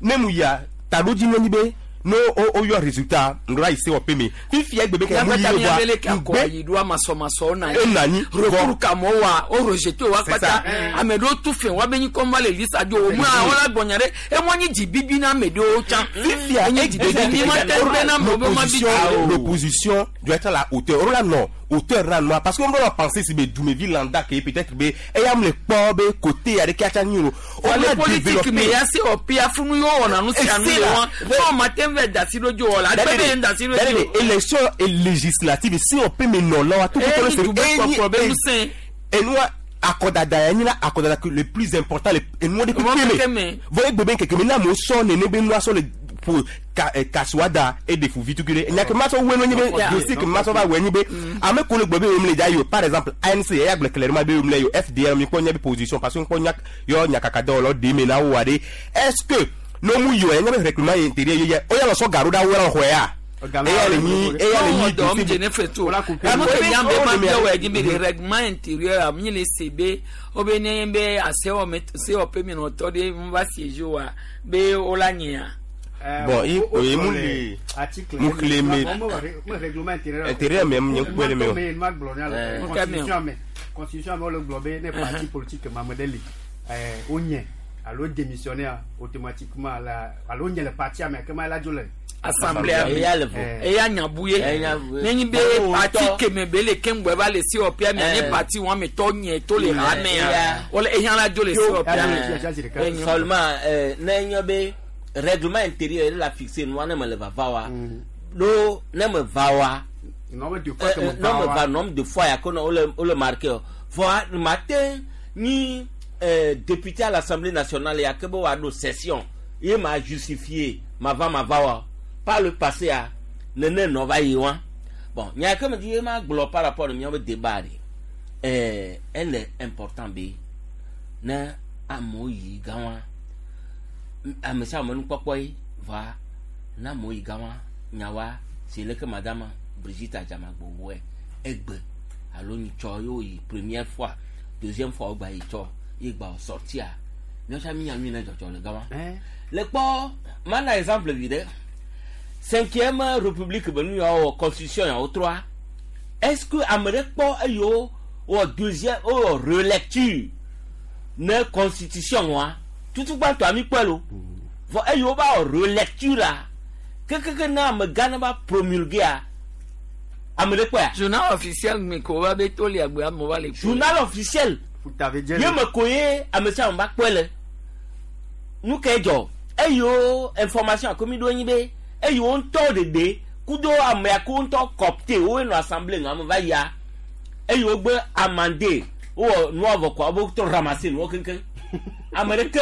S23: ne mu yia taɖodzi nye nyi be No o o yɔ résultat ŋdɔ ayi se wɔ pe mi fifia egbe be kɛ mu
S1: Miagbata
S23: yi
S1: miabele
S23: wa
S1: ke akɔ yi ɖo amasɔmasɔ na
S23: E na anyi.
S1: Recours ka mɔ wa o rejeté wa
S23: C'est
S1: kpata
S23: ça.
S1: ame ɖewo tu fɛn wa be nyi kɔn va le lisa dzo o mu awɔ la gbɔnya ɖe emɔ nyi dzi bibi na ame ɖewo tsã.
S23: Fifia
S1: enye dzi bibi mi ma te be na amewo be ma bi dzi o.
S23: l'opposition doit être à la hauteur o la non hauteur la noa parce que on doit penser si be dumevi lambda ke peut-être be eya mu le kpɔ be côté aɖe ke atsa nyi o
S1: Wale politique me ya se wɔ pia funu ye wɔna nu sia nu
S23: Et c'est
S1: le
S23: là.
S1: wa fɔn ma te vɛ dasi ɖo dzo wɔ la agbe be dasi ɖo dzo.
S23: élection et législative si on peut me nɔ la wa tout
S1: Eh,
S23: le
S1: ni dugbe kpɔkplɔ be ŋusẽ.
S23: enua akɔdada ya nyi la akɔdada que le plus important le enua de
S1: Mɔ
S23: keke
S1: keke
S23: me
S1: me.
S23: vɔ egbe be keke me na amewo sɔ nene be nua sɔ le po ka ɛ kasuada e de fuvi tukui ɖe nya ke ma sɔ wue no nyi be
S1: Yeah.
S23: dossier ke ma sɔ va wue nyi be ame ko le gblɔ be yom le dza yi o par exemple ANC eya gblɔ clairement be yom le yi o FDR mi kpɔ nya be position parce que mi kpɔ nya yɔ nyakaka dɔwɔlawo ɖe me na wo wa ɖe est ce que no mu yi o enya be recrutement intérieur ye yɛ o yà lɔ sɔ gaɖo ɖa wo la xɔe ya eya le nyi eya le nyi
S1: dɔm
S23: dossier
S1: dze ne fɛ to
S23: Wala
S1: ame ke nya be ma
S23: Wala
S1: bia wɔ edzi be le règlement intérieur a mi le se be wo be ne be asewɔ sewɔƒe mi nɔ tɔ ɖe mu va siège wa be wo la nyia.
S23: Bon, i mu le mu xlẽ me
S17: règlement intérieur
S23: intérieur me nye ŋkpɔe le me o.
S17: me ma gblɔ ne
S23: Eh.
S17: ale constitution me constitution me wole gblɔ be ne parti politique ma ame ɖe li eh, wonye alo démissionnaire automatiquement la alo wonye le partia me kema la dzo le
S1: Assemblée me.
S22: Eya le vo.
S1: Eya nyabu ye.
S22: Eya nyabu ye.
S1: Nenyi be
S22: Bon,
S1: parti
S22: tɔ.
S1: keme be le keŋgbɛ va le sewɔƒea mia nye
S22: Eh.
S1: parti wɔn ame tɔ nye to le
S22: Eh,
S1: hamea.
S22: eya.
S1: Wole eya la dzo le sewɔƒea.
S22: Eh, seulement ne enye be règlement intérieur la fixe nua ne me le vava wa lo ne me va wa
S17: nombre de fois que me
S22: ne
S17: va
S22: me
S17: wa.
S22: va nombre de fois ya ko ne wole wole marqué o vɔa mate nyi député à l'Assemblée nationale ya ke be wa ɖo session ye ma justifier ma va ma va wa par le passé a nene nɔ va yi wa bon nya ke me di ye ma gblɔ par rapport ne miabe débat de ele important be ne amewo yi gã wa ame sia ame nukpɔkpɔ ye va ne amewo yi gã wa nyawa si leke madame Brigitte Adjamagbo wɔe egbe alo nyitsɔ ye woyi première fois deuxième fois wogba yi tsɔ ye gba wò sortia míatsã mi nya nu yi ne dzɔdzɔ le gã wa le kpɔ mana exemple vi ɖe cinquième république be nu yawo wɔ constitution yawo trɔa est ce que ame ɖe kpɔ eye wo wɔ deuxième wowɔ relecture ne constitution wa tutugbãtɔ ami kpɔe lo vɔ eye wo ba wɔ relecture la kekeke ne amegã ne va promulguer ame ɖe kpɔea.
S1: Journal officiel me ko va be to le agbe amewo va le kpɔe.
S22: Journal officiel ye me ko ye ame sia ame va kpɔe le nu ke dzɔ eye wo information ako mi ɖo anyi be eye wo ŋutɔ ɖeɖe kudo ame ko ŋutɔ kɔpte wo nɔ assemblée ŋu ame va yia eye wo gbe amande wowɔ nua vɔ kɔ wo tɔ ramasse nuwo keŋkeŋ ame ɖeke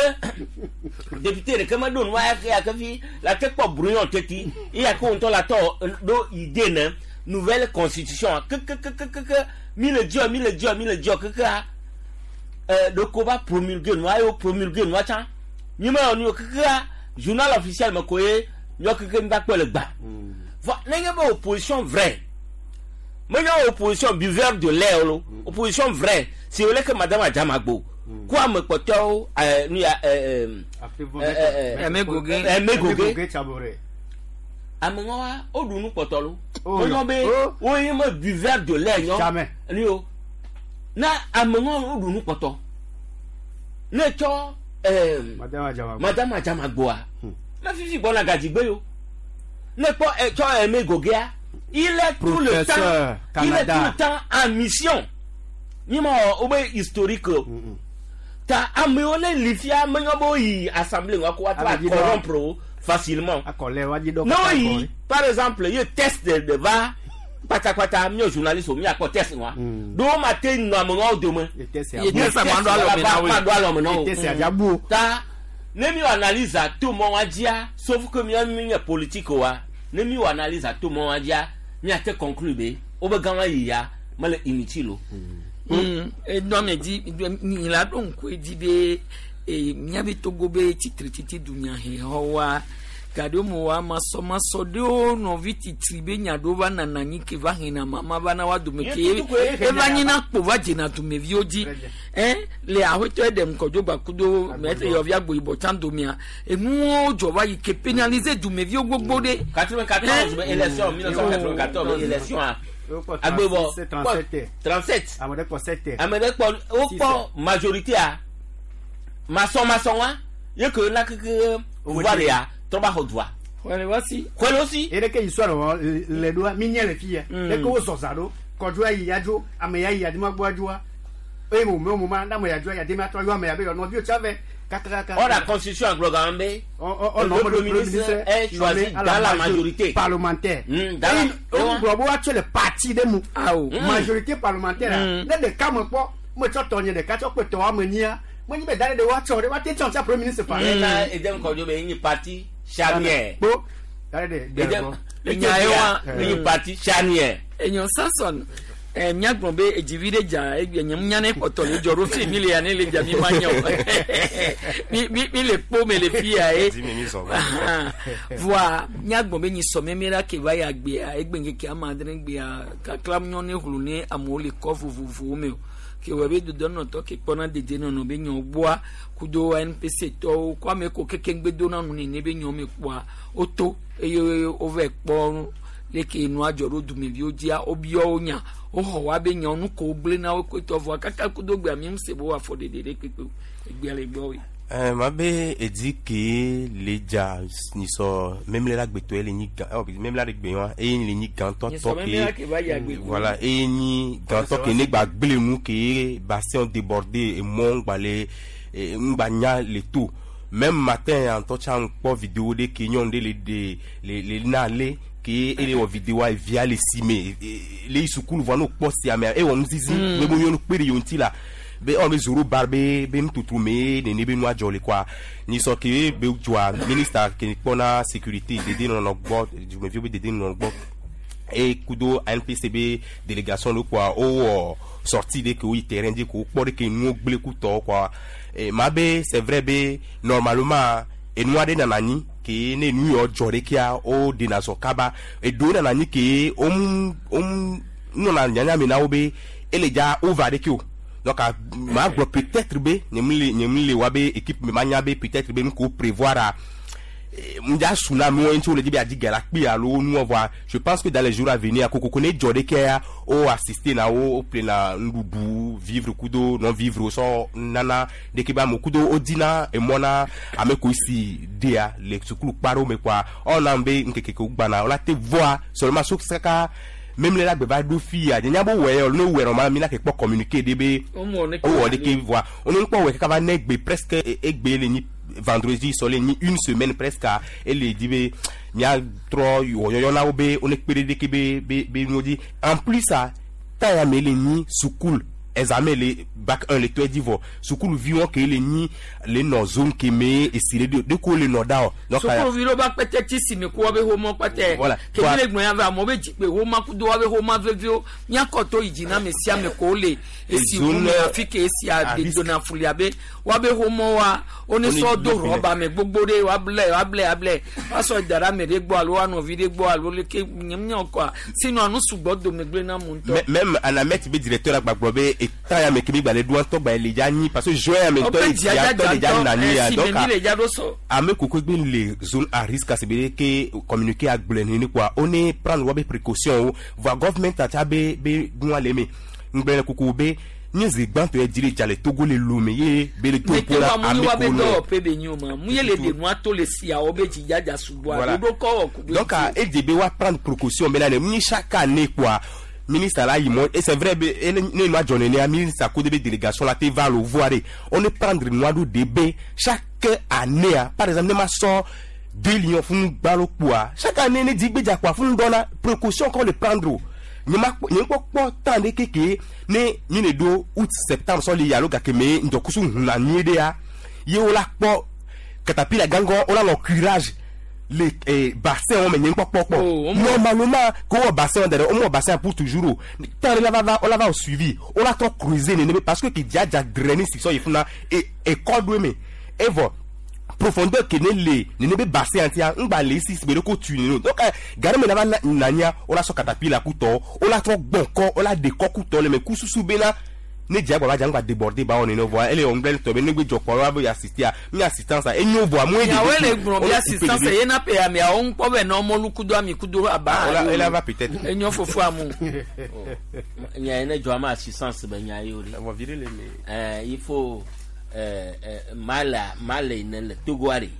S22: député ɖeke meɖo nua ya ke ya ke fi la te kpɔ brouillon teti eya ke wo ŋutɔ la tɔ ɖo idée ne nouvelle constitution kekekekeke mi le dziɔ mi le dziɔ mi le dziɔ kekea ɖeko va promulguer nua ye wo promulguer nua tsã mi me wɔ nu kekea journal officiel me ko ye miɔ keke mi va kpɔe le gbã vɔ nenye be opposition vraie menye opposition buveur de lait lo opposition vraie si wole ke madame Adjamagbo ko ame kpɔtɔwo nu ya
S1: Aimé Gogué.
S22: Aimé Gogué
S17: Tchaboré.
S22: ame ŋɔ wa woɖu nu kpɔtɔ lo
S17: Oh,
S22: wonyɔ be
S17: oh.
S22: wonye me buveur de lait nyɔ
S17: Jamais.
S22: nu yo na ame ŋɔ woɖu nu kpɔtɔ ne tsɔ
S17: Madame Adjamagbo.
S22: Madame Adjamagboa me fifi gbɔna gadzigbe yo ne kpɔ tsɔ Aimé Goguéa il est tout le temps
S17: Professeur
S22: il est
S17: Canada.
S22: tout le temps en mission mi ma wɔ wobe historique o ta amewo ne li fia menyɔ be woyi assemblée ŋua ko woatrɔ
S17: Ame dzi dɔ.
S22: corrompre wo facilement
S17: Akɔlɛ wa dzi dɔ
S22: ne
S17: kata
S22: woyi
S17: kɔlɛ.
S22: par exemple ye test de va kpatakpata miɔ journaliste o miakpɔ test ŋua ɖewo ma te nɔ ame ŋua dome
S17: Ye test
S1: Ye test a ma ɖo alɔme na woe.
S22: ma ɖo alɔme na wo
S17: Ye test a dza bu o.
S22: ta ne mi wɔ analyse ato mɔ wa dzia sauf que mia mi nye politique wa ne mi wɔ analyse ato mɔ wa dzia miate conclure be wobe gã wa yi ya mele inutile o.
S1: Edɔ me dzi nyi la ɖo ŋku edzi be miabe Togo be tsitretsitsi dunyahexɔwoa Gaɖewo me wa masɔmasɔ ɖewo nɔvi titri be nya ɖewo va nana anyi ke va hena mama va na wa dome ke eva nyina kpo va dzena dumeviwo dzi. Ɛ le aƒetɔ eɖe ŋkɔdzo gbakudo mɛtre yɔvi agboyibɔ tsã domea enuwo dzɔ va yi ke pénaliser dumeviwo gbogbo ɖe.
S22: 94 be élection 1994 be élection a agbebɔ 37
S17: ame ɖe kpɔ 7
S22: ame ɖe kpɔ wokpɔ majorité a masɔmasɔ wa ye ke na keke pouvoir ya trɔ ba xɔ dua.
S1: Xɔle wa si.
S22: Xɔle wo si.
S17: Eye ɖeke yi sɔ ɖe le ɖoa mi nye le fi ya. Ɖeke wo zɔza ɖo kɔdzo ayi ya dzo ame ya yi adima gbɔ adzoa eye mo me mo ma na ame ya dzo ya demi atrɔ yɔ ame ya be yɔ nɔviwo tsa vɛ kakakaka.
S22: Or la constitution agblɔ gan be. Le premier ministre est choisi dans la majorité
S17: parlementaire.
S22: Dans la.
S17: Eye gblɔ be woatsɔ le parti ɖe mu.
S1: Awo.
S17: Majorité parlementaire ne ɖeka me kpɔ metsɔ tɔnye ɖeka tsɔ kpe tɔwa me nyia menye be da ɖe ɖe woatsɔ ɖe woate tsɔ sia premier ministre fa.
S22: Ena edem kɔdzo be enyi parti charnière.
S17: Kpo da ɖe ɖe
S22: Edem enyi parti charnière.
S1: Enyo Samson ɛ míagblɔ be edzivi ɖe dza egbe nye nya ne kpɔtɔ le dzɔ ɖo fi mi le ya ne le dza mi ma nya o mi mi mi le kpo me le fi ya ye voa míagblɔ be nyi sɔmɛmɛ ɖa ke va ya gbea egbe ŋkeke ame adre gbea kakla nyɔ ne hlu ne amewo le kɔ vovovowo me o ke wɔ be dodɔnɔtɔ ke kpɔna dedienɔnɔ be nyɔ gbɔa kudo NPC tɔwo kɔ ame ko keke ŋgbedona nu nene be nyɔ me kpɔa woto eye wova kpɔ leke nua dzɔ ɖo dumeviwo dzia wobiɔ wo nya woxɔ wa be nya nu ko wogblẽ na wo kotɔ vɔa kaka kudo gbea mi ŋusẽ bo afɔ ɖeɖe ɖe kpekpe egbea le gbɔ woe.
S23: Ɛɛ ma be edi ke le dza nyisɔ memle la gbetɔ ye le nyi gã ɔ memle la gbe wa eye le nyi gãtɔ
S1: Nyisɔ
S23: tɔ
S1: memle la ke va yi agbe
S23: ke voilà eye nyi gãtɔ ke ne gba gblẽ nu ke bassin débordé emɔ ŋgba le ŋgba nya le to même matin ŋutɔ tsã ŋkpɔ vidéo ɖe ke nyɔnu ɖe le de le le na le ke ele wɔ vidéoa evia le si me le yi sukulu vɔ ne wòkpɔ sia mea ewɔ nuzizi be mo nyɔnu kpe ɖe yewo ŋuti la be ɔn be zoro bar be be nututu me nene be nua dzɔ le kɔa nyisɔ ke be dzɔa ministre ke kpɔna sécurité dedienɔnɔ gbɔ dumeviwo be dedienɔnɔ gbɔ eye kudo ANPC be délégation ɖe kɔa wowɔ sortie ɖe ke woyi terrain dzi ko wokpɔ ɖe ke nuwo gblẽ ku tɔwo kɔa ma be c'est vrai be normalement enua ɖe nana anyi ke ne nu yawo dzɔ ɖe kea woɖena zɔ kaba eɖewo nana anyi ke wom wom nɔna nyanya me na wo be ele dza wova ɖeke o donc ma gblɔ peut-être be nye mu le nye mu le wa be équipe me ma nya be peut-être be nu ko prévoir a ŋdza su na amewo ŋuti wole dzi be adi ga la kpi alo nuwɔ vɔa je pense que dans les jours à venir kokoko ne dzɔ ɖe kea wo assister na wo wo ƒlena nuɖuɖu vivre kudo non vivre sɔ nana ɖeke be amewo kudo wodina emɔ na ame ko si dea le sukulu kpa ɖewo me kɔa ɔna be ŋkeke ke wogbana wola te vɔa seulement so kaka memle la gbe va ɖo fi ya nye nya be wɔ yɛ ne wɔ normalement mi la ke kpɔ communiqué ɖe be wowɔ ɖeke vɔa wone ŋkpɔ wɔ kaka va ne gbe presque egbe le nyi vendredi sɔ le nyi une semaine presque ele di be miatrɔ wɔyɔyɔ na wo be wone kpe ɖe ɖeke be be be nuwo dzi en plus a ta ya me le nyi sukulu examen le bac 1 le tɔe dzi vɔ sukuluviwo ke le nyi le nɔ zone ke me esi le ɖe ko le nɔ da o.
S1: Sukuluvi ɖewo ba kpɛtɛ tsi si me ko woabe xomɔ kpɛtɛ.
S23: Voilà.
S1: Ke mi le gblɔ ya ve amewo be dzikpe xoma kudo woabe xoma veviwo míakɔ to yi dzi na ame sia ame ko le esi
S23: Zone
S1: ŋu me afi ke esia
S23: à risque.
S1: dona fuli abe woabe xomɔwoa wone
S23: Wone
S1: sɔ do
S23: do fili.
S1: rɔba me gbogbo ɖe woable woable able woasɔ da ɖe ame ɖe gbɔ alo woanɔvi ɖe gbɔ alo leke nye míɔ kɔa sinua nu sugbɔ dome gblẽ na mu ŋutɔ.
S23: Même anamet be directeur agba gblɔ be eta ya me ke mi gba le ɖo ŋutɔ gba le dza nyi parce que juin ya me ŋutɔ
S1: Woƒe
S23: ye
S1: dzia
S23: dzia ŋutɔ le dza
S1: dza
S23: na nyi ya
S1: ŋutɔ, esi
S23: donc
S1: me mi le dza ɖo sɔ.
S23: ame koko gbe le zone à risque asi be ke communiqué agblɔe nene quoi on est prendre woabe précaution wo voa government atsa be be nua le me ŋgblẽ le koko be nye zi gbãtɔ ye dzi le dza le Togo le Lome ye be le to
S1: mete
S23: ƒo la
S1: wa mu
S23: ame
S1: wa be
S23: ko nɔ
S1: dɔwɔƒe be nyo ma mu ye le ɖe nua to le siawo be dzidzadza sugbɔa
S23: Voilà.
S1: ɖoɖo kɔ wɔ ku ɖo
S23: donc edze be wa prendre précaution bena ne ni chaque année quoi ministre la yi mɔ et c'est vrai be ele ne nua dzɔ nenea ministre ko de be délégation la te va le voir de on ne prendre nua ɖo de be chaque année ah, par exemple ne ma sɔ deux lions funu gbalo kpoa chaque année ne dzigbedza kpoa funu dɔna précaution kɔ le prendre o nye ma kpɔ nye kpɔ kpɔ temps de keke ne mi ne ɖo août septembre sɔ le yi alo gake me ŋdɔkusu huna nyuie ɖea ye wo la kpɔ katapila gangɔ wo la nɔ curage le bassin wɔn me nye kpɔkpɔkpɔ normalement ko wɔ bassin wɔn da ɖe wo mɔ bassin pour toujours o temps de la va va wo la va o suivi wo la trɔ creuser nene be parce que ke dzadza drainer si sɔ yi funa e ekɔ ɖo eme evɔ profondeur ke ne le nene be bassin ŋutia ŋgba le esi si be ɖe ko tu nene o donc gare me la va nanya wo la sɔ katapila kutɔ wo la trɔ gbɔn kɔ wo la ɖe kɔ kutɔ le me kususu bena ne dze agbagba dza ŋgba déborder ba wɔ nene voa ele wɔ ŋgblẽ tɔ be ne gbe dzɔ kpɔ wa be assistea mi assistance a enyo voa mu
S1: Miawoe le gblɔ be assistance ye na pe ameawo ŋkpɔ be nɔ mɔlu kudo ami kudo aba.
S23: Ola ela va peut-être.
S1: Enyo fofo amu.
S22: Nya yi ne dzɔ ama assistance be nya yi o ɖe.
S23: Vɔ vi ɖe le me.
S22: Il faut mala mala yi ne le Togoa ɖe.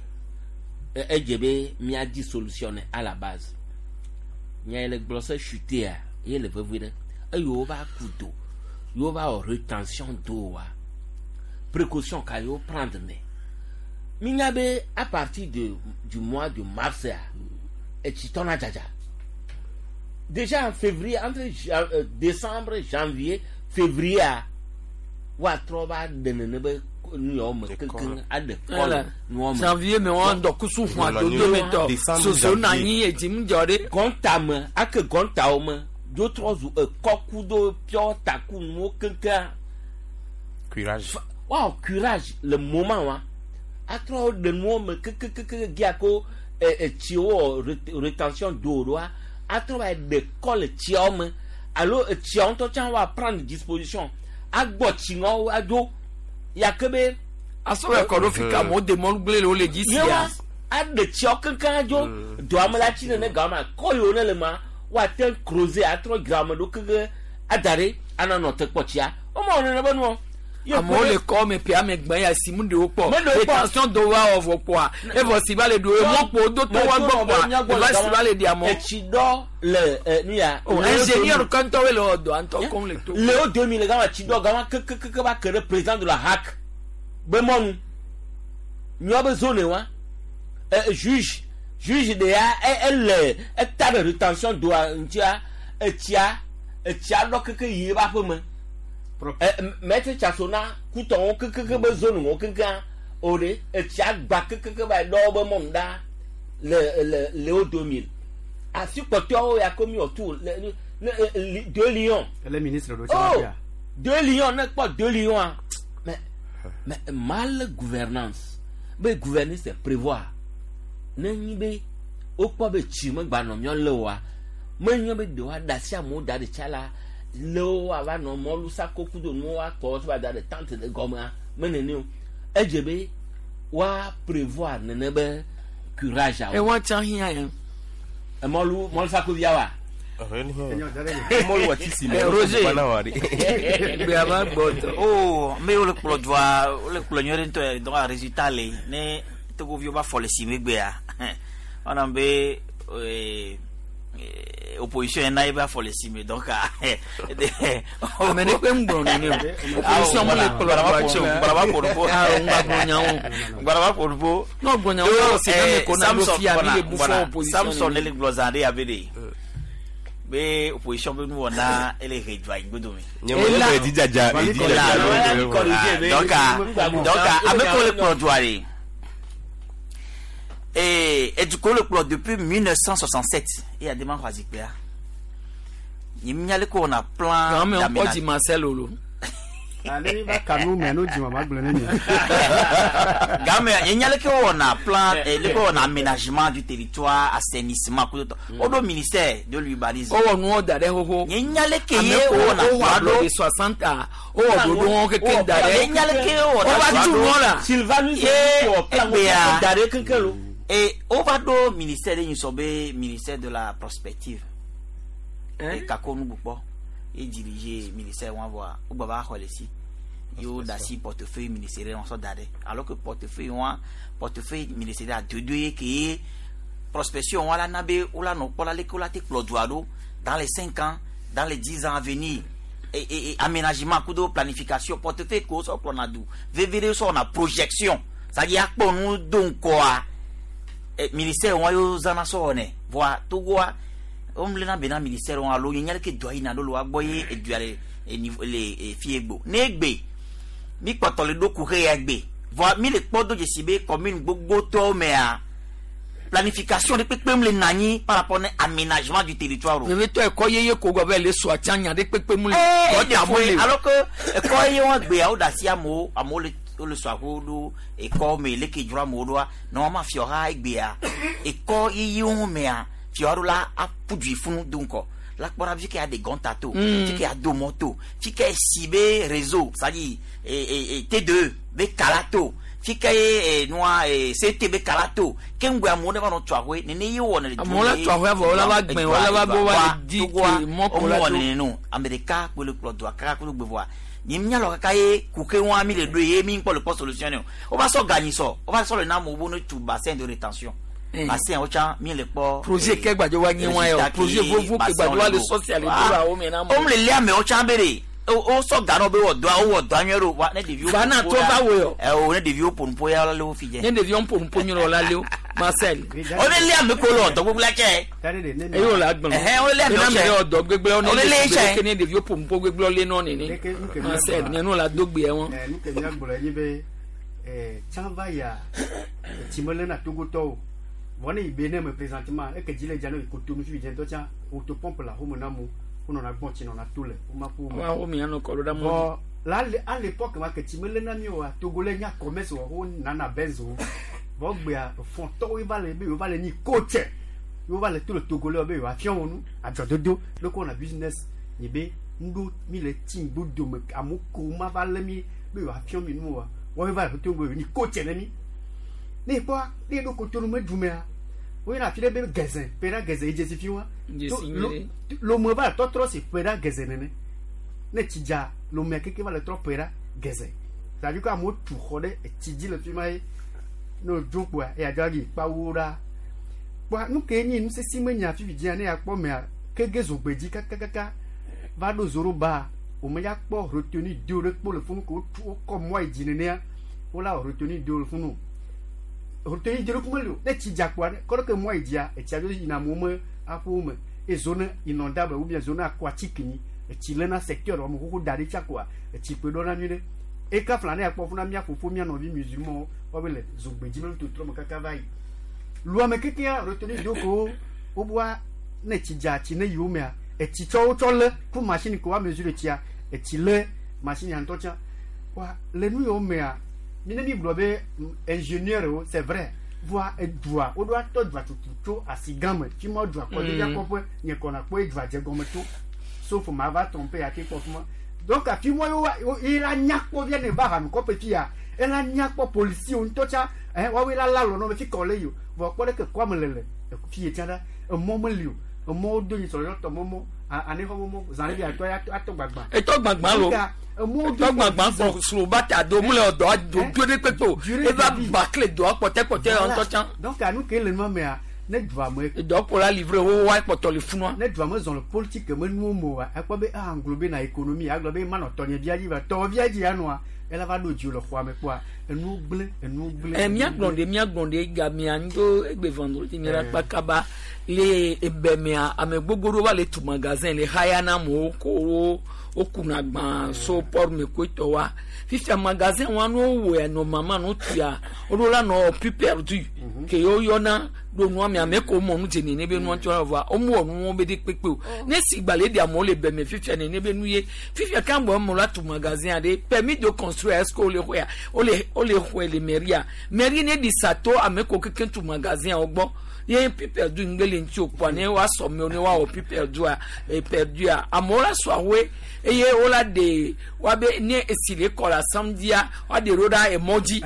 S22: Edze be míadi solution ne à la base. Nya yi le gblɔ se chutea ye le vevie ɖe. Eye wova ku do, ye wova wɔ retention do wa. Précaution ka yewo prendre ne. Mínya be à partir de du mois de mars a, etsi tɔna dzadza. Déjà en février, entre décembre, janvier, février a, woatrɔ va ɖe nene be nu yawo me keŋkeŋ aɖe kɔ le nuawo me.
S1: Janvier me wɔn dɔkusu hun adodo me tɔ. Soso na anyi edzi mu dzɔ ɖe.
S22: Gɔnta me ake gɔntawo me dzo trɔ zu ekɔ kudo piɔ taku nuwo keŋkeŋ.
S23: Curage.
S22: Woawɔ curage le moment wa atrɔ ɖe nuwo me kekekeke gia ko etsiwo wɔ retention do ɖoa atrɔ va ɖe kɔ le tsiawo me alo etsiawo ŋutɔ tsã woa prendre disposition agbɔ tsiŋɔwo adzo yake be.
S1: Asɔ ɛkɔ ɖo fi ka amewo de mɔlu gblẽ le wo le dzi sia.
S22: Yewa aɖe tsiawo keŋkeŋ adzo doa me la tsi nene gama kɔ yiwo ne le ma woate creuser atrɔ dzra ame ɖo keŋkeŋ ada ɖe ana nɔ te kpɔ tsia womewɔ nene be nuɔ.
S1: Amewo le kɔ me pe ame gbɛ ya si mu ɖewo kpɔ
S22: Me ɖewo kpɔ.
S1: retention do wa wɔ vɔ kpɔa evɔ si va le ɖo emɔkpo do to wa gbɔ kpɔa eva si va le ɖi amewo.
S22: Etsi ɖɔ le nu ya.
S1: O ingénieur kɔntɔwoe le wɔ dɔa ŋutɔ koŋ le to.
S22: Le wo domi le gama tsi ɖɔ gama kekekeke va ke ɖe président de la HAC be mɔnu nyɔ be zone wa juge juge de ya ele eta ɖe retention doa ŋutia etsia etsia ɖɔ keke yi ebe aƒe me. Maître Tchasona kutɔwo kekeke be zone wo keŋkeŋ o ɖe etsia gba kekeke va ɖɔ be mɔnu ɖa le le le wo domi afi kpɔtɔewo ya ko mi wɔ tu le ne 2 lions.
S17: Ele ministre ɖo
S22: Oh,
S17: tsã fia.
S22: 2 lions ne kpɔ 2 lions a mais mal gouvernance be gouverner c'est prévoir ne nyi be wokpɔ be tsi megba nɔ miɔ le oa menye be ɖe woaɖe asi amewo da ɖe tsa la le wo ava nɔ mɔlu sako kudo nuwo akɔ va da ɖe tente ɖe gɔmea me nene o edze be woa prévoir nene be curage awo.
S1: Ewa tsã hiã ya.
S22: Mɔlu mɔlu sako via wa.
S23: Mɔlu wa tsi si me.
S1: Roger.
S23: Bana wa de.
S1: Gbea va gbɔ tɔ.
S21: Oh, me wole kplɔ dua wole kplɔ nyuie ɖe ŋutɔ donc résultat le ne togoviwo va fɔ le si megbea wɔna be opposition yɛn na ye va fɔ le si me donc
S1: Ame ɖe kpe ŋgblɔ nene o. Opposition mo le kplɔ dua tse o.
S21: Gbaraba ƒo ɖoƒo.
S1: Ah, ŋgba gblɔ nyawo.
S21: Gbaraba ƒo ɖoƒo.
S1: N'o gblɔ nyawo, n'o se na me ko na ɖo fia mi le bu fɔ opposition
S21: Samson
S1: nene.
S21: le gblɔ zã ɖe abe ɖe be opposition be nuwɔna ele he dua yi gbodome.
S23: Nye mo le edzi dzadza edzi dzadza.
S21: Donc donc ame ko le kplɔ dua ɖe. Et edukɔ le kplɔ depuis 1967 eye adema xɔ azikpuia. Nye minya le ko wɔna plan
S1: Gã me ŋkɔ dzi Marcel o lo.
S17: Ale va kanu me no dzi ma gblɔ ne mi.
S21: Game nye nya leke wɔna plan leke wɔna aménagement du territoire assainissement kudo tɔ o ɖo ministère de l'urbanisme.
S1: Wowɔ nuwo da ɖe xoxo.
S21: Nye nya leke
S1: Ame
S21: ye
S1: ko
S21: wɔna
S1: wowɔ
S21: dua
S1: ablɔɖe
S21: ɖo.
S1: 60 a wowɔ ɖoɖo wɔn kekeŋ da ɖe.
S21: Nye nya leke wɔna
S1: Wova
S21: dua
S1: tu
S21: ɖo.
S1: nuɔ la.
S22: Sylvanus
S21: Ye
S22: wɔ plan
S21: egbea
S22: da ɖe keŋkeŋ lo.
S21: Et on va do ministère de nyisɔ be ministère de la prospective. Et kako nugbukpɔ ye dirige ministère wọn voa wo gba va xɔ le si. Yo da si portefeuille ministériel wọn sɔ da ɖe alors que portefeuille wọn portefeuille ministériel adodo ye ke ye prospection wọn la na be wo la nɔ kpɔ la leke wo la te kplɔ dua ɖo dans les 5 ans dans les 10 ans à venir et aménagement kudo planification portefeuille ko sɔ kplɔna du vevie ɖe sɔ wɔna projection c'est à dire akpɔ nu do ŋkɔa ministère wọn yóò zana sɔ wɔnɛ voa togoa womlena bena ministère wọn alo nye leke dua yina ɖo le wa gbɔ ye edua le niveau le fie gbo ne egbe mi kpɔtɔ le ɖo kuxe ya gbe voa mi le kpɔ do dzesi be commune gbogbotɔwo mea planification ɖe kpekpem le nanyi par rapport ne aménagement du territoire o.
S1: Vevitɔ ɛkɔ yeye ko gɔ bɛ le sɔ atsa nya ɖe kpekpe mu le.
S21: Ee
S1: Kɔ ta mu le.
S21: alors que ɛkɔ ye wɔn gbea wo da si amewo amewo le wole sɔ aƒewo ɖo ekɔ me leke dzro amewo ɖoa nɔma fiɔha egbea ekɔ yeyewo mea fiɔha ɖo la aƒu dui funu do ŋkɔ la kpɔ ɖa fi ke aɖe gɔnta to fi ke ado mɔ to fi ke si be réseau c'est-à-dire T2 be kala to fi ke nua CT be kala to ke ŋgɔe amewo ne va nɔ tu ahoe nene ye wɔ ne le
S1: Amewo la tu ahoe avɔ wola va gbẽ, wola va gbɔ va le di ke mɔ ko la
S21: wɔ
S1: to.
S21: nene no ame ɖeka kpe le kplɔ dua kaka kple gbe vɔa nye míalɔ kaka ye kuke wɔn mi le ɖo ye mi kpɔ le kpɔ solution ne o wova sɔ ganyi sɔ wova sɔ le na amewo bo ne tu bassin de rétention bassin wo tsã mi le kpɔ.
S1: Projet ke gbadze wa nye wa yɛ o projet vovo ke gbadze wa le sɔsi ale do la wo me na mo.
S21: Wo le lé amewo tsã be de wo sɔ ga nɔ be wɔ dɔa wowɔ dɔa nyuie ɖo wa ne ɖeviwo.
S1: Fana
S21: ƒo
S1: trɔ va wo yɔ.
S21: Ɛ o ne ɖeviwo ƒo nuƒo ya le wo fi dze.
S1: Ne ɖeviwo ƒo nuƒo nyuie la le wo Marcel.
S21: O ne lé ame ko le wɔ dɔ gbogbo la tsɛ.
S1: Eye wo le agblɔ.
S21: Ɛhɛn wo lé amewo
S1: Ena
S21: tsɛ.
S1: me wɔ dɔ gbegblẽ
S21: Wo le lé tsɛ.
S1: ke ne ɖeviwo ƒo nuƒo gbegblẽ le nɔ nene. Marcel nye nu la do gbe wɔn.
S17: Nu ke míagblɔ nye be tsã va yia etsi melena togotɔwo vɔ ne yi be ne me présentement eke dzi le dza ne yi kotonu fi dze ŋutɔ tsã autopompe le axome na amewo wonɔna gbɔn tsi nɔna to le woma ƒo
S1: Wa wo mi anɔ kɔ ɖo ɖe mɔ
S17: Vɔ la à l'époque ma ke tsi melena mi oa Togo le nya commerce wɔ wo nana benzo vɔ gbea fɔntɔwo va le be yewo va le nyi coach yewo va le to le Togo le be yewoa fiɔ wo nu adzɔdodo leke wɔna business nye be ŋɖo mi le tsi ŋgbo dome amewo ko ma va lé mi be yewoa fiɔ mi nu oa wɔwoe va le Togo yewo nyi coach ne mi ne ekpɔa ne eɖo kotonu me dumea woyina afi ɖe be gɛzɛ ƒe ɖa gɛzɛ edze si fi wa
S1: Dzesi nyuie.
S17: lome va le tɔtrɔ si ƒe ɖa gɛzɛ nene ne tsi dza lomea keke va le trɔ ƒe ɖa gɛzɛ c'est-à-dire que amewo tu xɔ ɖe etsi dzi le fi ma ye ne wodzo kpoa eya dza yi kpawo ɖa kpoa nu ke nyi nusesi me nya fifi dzia ne yakpɔ mea kege zogbedzi kakakaka va ɖo zoroba wòme ya kpɔ retenu do ɖe kpo le funu ko wotu wokɔ mɔ yi dzi nenea wola wɔ retenu do le funu retenu do ɖe kuma li o ne tsi dza kpoa kɔ ɖe ke mɔ yi dzia etsia dzo yina amewo me aƒewo me eye zone inondable ou bien zone aquatique nyi etsi lena secteur wɔme xoxo da ɖi tsa koa etsi kpe ɖɔ na nyuie ɖe eka fla ne yakpɔ funa mía fofo mía nɔvi musulmanwo woabe le zogbedzi me totrɔ me kaka va yi luame kekea retenu do ko woboa ne tsi dza tsi ne yiwo mea etsi tsɔ wotsɔ lé ku machine ko wa mesure tsia etsi lé machine ya ŋutɔ tsã wa le nu yiwo mea mi ne mi gblɔ be ingénieur wo c'est vrai voa edua woɖo atɔ dua tutu tso asi gã me fi ma dua kɔ ɖevia kɔƒe nye kɔna kpɔ edua dze gɔme to sauf ma va tromper ya ke kpɔ fi ma donc afi ma yewo ye la nya kpɔ via ne va hanu kɔƒe fi ya ela nya kpɔ policier ŋutɔ tsã ɛ woawoe la la lɔ nɔ me fi kɔ le yi o vɔ kpɔ ɖe ke kɔame le le fi ye tsã ɖa emɔ meli o emɔwo do nyi sɔrɔ tɔ mɔmɔ anexɔ mɔmɔ zã ɖe bi atɔ atɔ gbagba.
S1: Etɔ gbagba lo etɔ gbagba kpɔ slobata do mu le dɔ do do ɖe kpekpe o eva bakle dɔa kpɔtɛkpɔtɛ ŋutɔ tsã.
S17: Donc anu ke le nua mea ne dua me.
S1: Dɔ kpo la livre wo wa kpɔtɔ le funua.
S17: Ne dua me zɔn le politique me nuwo me oa ekpɔ be ah ŋglo be na économie agblɔ be manɔ tɔnye via dzi va tɔ via dzi ya nɔa ela va ɖo dzi le xɔa me kpɔa enuwo gblẽ enuwo gblẽ.
S1: Ɛ míagblɔ ɖe míagblɔ ɖe gamea ŋdo egbe vendredi mi la kpa kaba le ebemea ame gbogbo ɖewo va le tu magasin le haya na amewo ko wo wokuna gbã so port me ko etɔ wa fifia magasin wa no wɔ normalement no tuya woɖo la nɔ plus perdu ke yewo yɔna ɖo nua me ame ko mɔ nu dze nene be nua tsɔ va womu wɔ nuwo be ɖe kpekpe o ne si gbalẽ ɖe amewo le beme fifia nene be nu ye fifia kan bɔ amewo la tu magasin aɖe permis de construire est ce que wole xɔea wole wole xɔe le mairie mairie ne ɖi sato ame ko keke tu magasin wo gbɔ ye plus perdu ŋgbe le ŋuti o kpoa ne woasɔ mewo ne woawɔ plus perdua perdua amewo la sɔ ahoe eye wola ɖe woabe ne esi le kɔ la samdia woaɖe ɖo ɖa emɔ dzi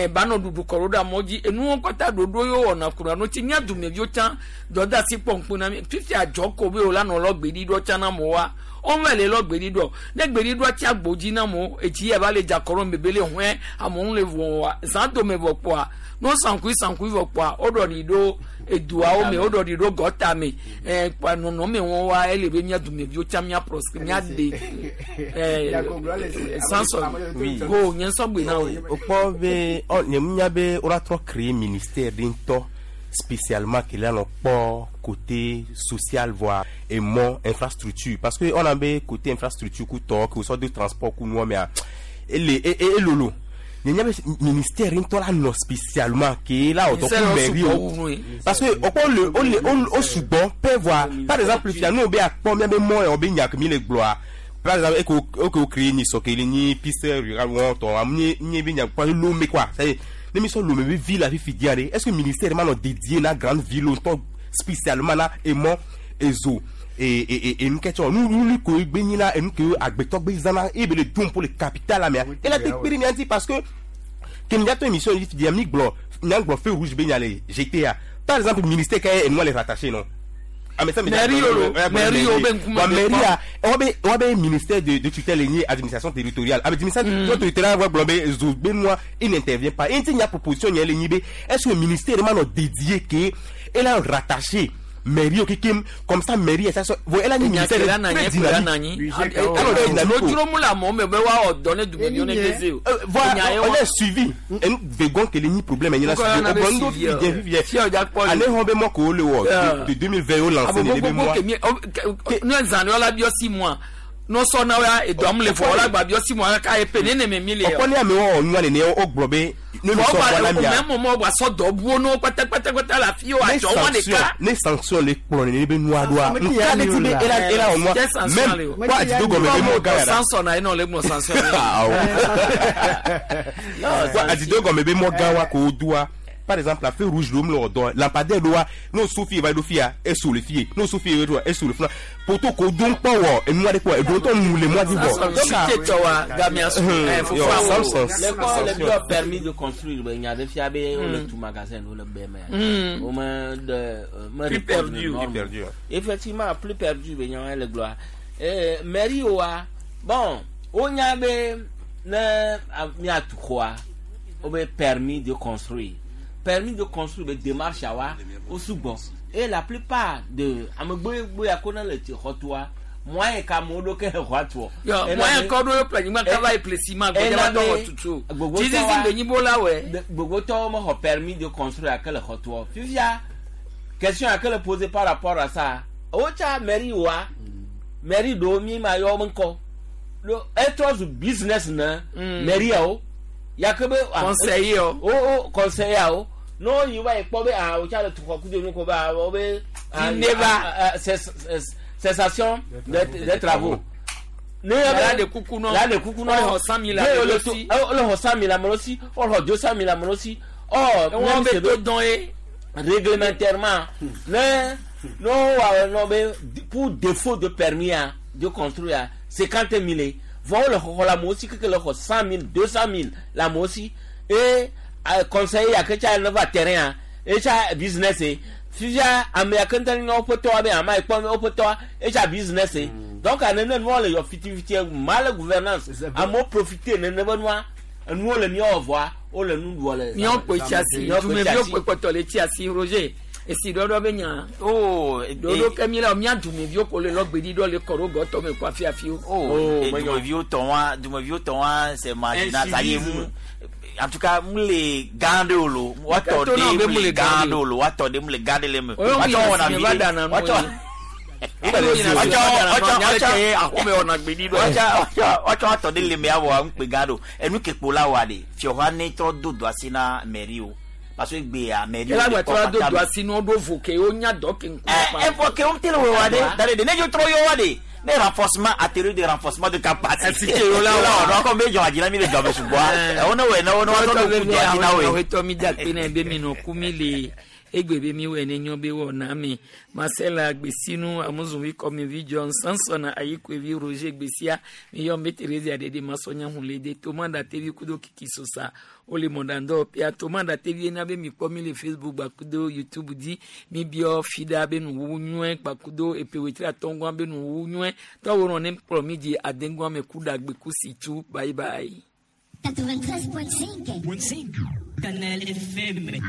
S1: banɔ ɖuɖu kɔ ɖo ɖa mɔ dzi enuwo kɔta ɖoɖo yewo wɔna kuna no tsi mía dumeviwo tsã dɔdeasi kpɔ ŋku na mi fifi adzɔ ko be wola nɔ lɔ gbeɖiɖɔ tsã na amewoa wɔn le lɔ gbeɖiɖɔ ne gbeɖiɖɔ tsi agbo dzi na amewo etsi ya va le dza kɔ ɖo bebe le hɔɛ amewo le vɔ wa zã dome vɔ kpoa no sankui sankui vɔ kpoa woɖɔ ɖi ɖo eduawo me woɖɔ ɖi ɖo gɔta me kpoa nɔnɔme wɔn wa ele be mía dumeviwo tsã mía proscrit mía de sansɔ go nye nsɔgbe na wo.
S23: O kpɔ be ɔ nye mu nya be wola trɔ créer ministère ɖe ŋutɔ spécialement ke la nɔ kpɔ côté social voire emɔ infrastructure parce que on a be côté infrastructure ku tɔ ke wosɔ do transport ku nuwɔ mea ele elolo nye nya be ministère ŋutɔ la nɔ spécialement ke la wɔ dɔ ku mairie o parce que o kpɔ le o le o sugbɔ pe voire par exemple fia nu be akpɔ mia be mɔ yɔ be nya ke mi le gblɔa. Par exemple, et qu'on crée ni sokeli ni piste rurale ou on ni ni bien pas Lomé quoi. C'est ne mi so Lomé ville la vie diaré. Est-ce que ministère m'a dédié na grande ville longtemps spécialement là et moi et zo et une question nous nous ko gbe là et nous que agbeto gbe zana et be le dum pour le capital la mais et la te piri ni parce que que nous émission dit mi glo nyangbo feu rouge be nyale GTA par exemple ministère qui est nous les rattacher non. Ah mais ça
S1: mairie mairie
S23: a ministère de tutelle et administration territoriale. Administration territoriale va blomber moi il n'intervient pas. Il y a proposition est-ce que le ministère m'a dédié que elle a rattaché mairie comme ça mairie ça elle a ministère très dynamique. Voilà, on est suivi. Et nous verrons que les problème il y a allez on be mo le de 2020 au lancé les mois.
S1: Nous en la bio 6 mois. Non so na wa e dom le fo la gba bio 6 mois ka e pe ne ne me le.
S23: Okoni ame o nu ale ne o globe ne
S1: no so wa la mia. Même moment wa so do buo no pata pata pata la fi o ajo won le ka.
S23: Ne sanction le kpon ne be nu adoa. Nka le ti be era era o mo. Même quoi di do go me mo ga.
S1: Sanction na ino le mo sanction.
S23: Quoi di do go me be mo ga wa ko dua. Par exemple, la feu rouge, l'homme, l'ordre, lampadaire, l'oie, nos soufi, va le et sous le fier, nos soufi, et sous le flanc. Pour tout qu'on donne pas, et moi, de quoi, et d'autres, nous, les mois d'hiver.
S22: Les permis de construire, il y a des fiables, on le tout magasin, on le BMR. Au moins, de.
S1: Plus perdu.
S22: Effectivement, plus perdu, il y a le gloire. Mairie, bon, on y avait, ne, tout quoi, on permis de construire. Permis de construire des démarches à au sous-bon. Et la plupart de moi et Kamodo ke roi.
S1: Moi encore do planning travail précisément
S22: Bogoto permis de construire à quel roi. Fifia question à quel poser par rapport à ça. Ocha mairie wa mairie do mi ma yo mko. Le être business na mairie o Yakobe
S1: conseiller
S22: oh conseiller oh non il va pas ah o tcha le coup de nous ko ba o be cessation des travaux
S1: là de coucou non
S22: là de coucou non
S1: o 100 000
S22: le 100 000 amolosi o 200 000 amolosi oh
S1: on be to don e
S22: réglementairement ne non non pour défaut de permis de construire 50 000 vont le la mosi que le 100 000 200 000 la mosi et conseiller à que tu as un terrain et ça business fija américain on peut toi bien mais on peut toi et ça business donc à ne nous le fitivité mal gouvernance à moi profiter ne ne nous le mieux au revoir on le nous doit le
S1: mieux ko chassi tu me vieux ko to le chassi Roger et si dodo be nya
S21: oh
S1: dodo kemi la mi adu mi ko le logbe di do le koro go to me kwa fia fi
S21: oh du me vieux ton c'est marginal ça y est en tout cas mu le gande lo wa to de mu le gande lo wa to de mu le gande le me wa to wona mi wa to wa to de le me awo npe gado enu kepo la wa de fi o ha ni to dodo asina mairie o parce que gbé mairie
S1: la gba to do do asinu do voke o nya do ke nko
S21: pa e voke o tele wa de dale de ne jo tro yo wa de ne renforcement atelier de renforcement de capacité la wa ko me jo ajira mi le jo be sugbo e wona we na wona wa to do ku do ajina we
S1: o to mi da pe na be mi no ku mi le egbe be mi we ne nyo be wo na mi Marcel Agbesinu amuzunwi komi vi John Samson ayikwe vi Roger Gbesia mi yo me Teresa Dede Masonya hunlede Tomanda TV kudo kiki sosa ole mondando pia Tomanda TV na be mi komi le Facebook bakudo YouTube di mi bio fida be nu wunwe bakudo epewetra tongwa be nu wunwe to woron ne promi di adengwa me kuda gbe kusitu bye bye.
S2: 93.5 Canal FM.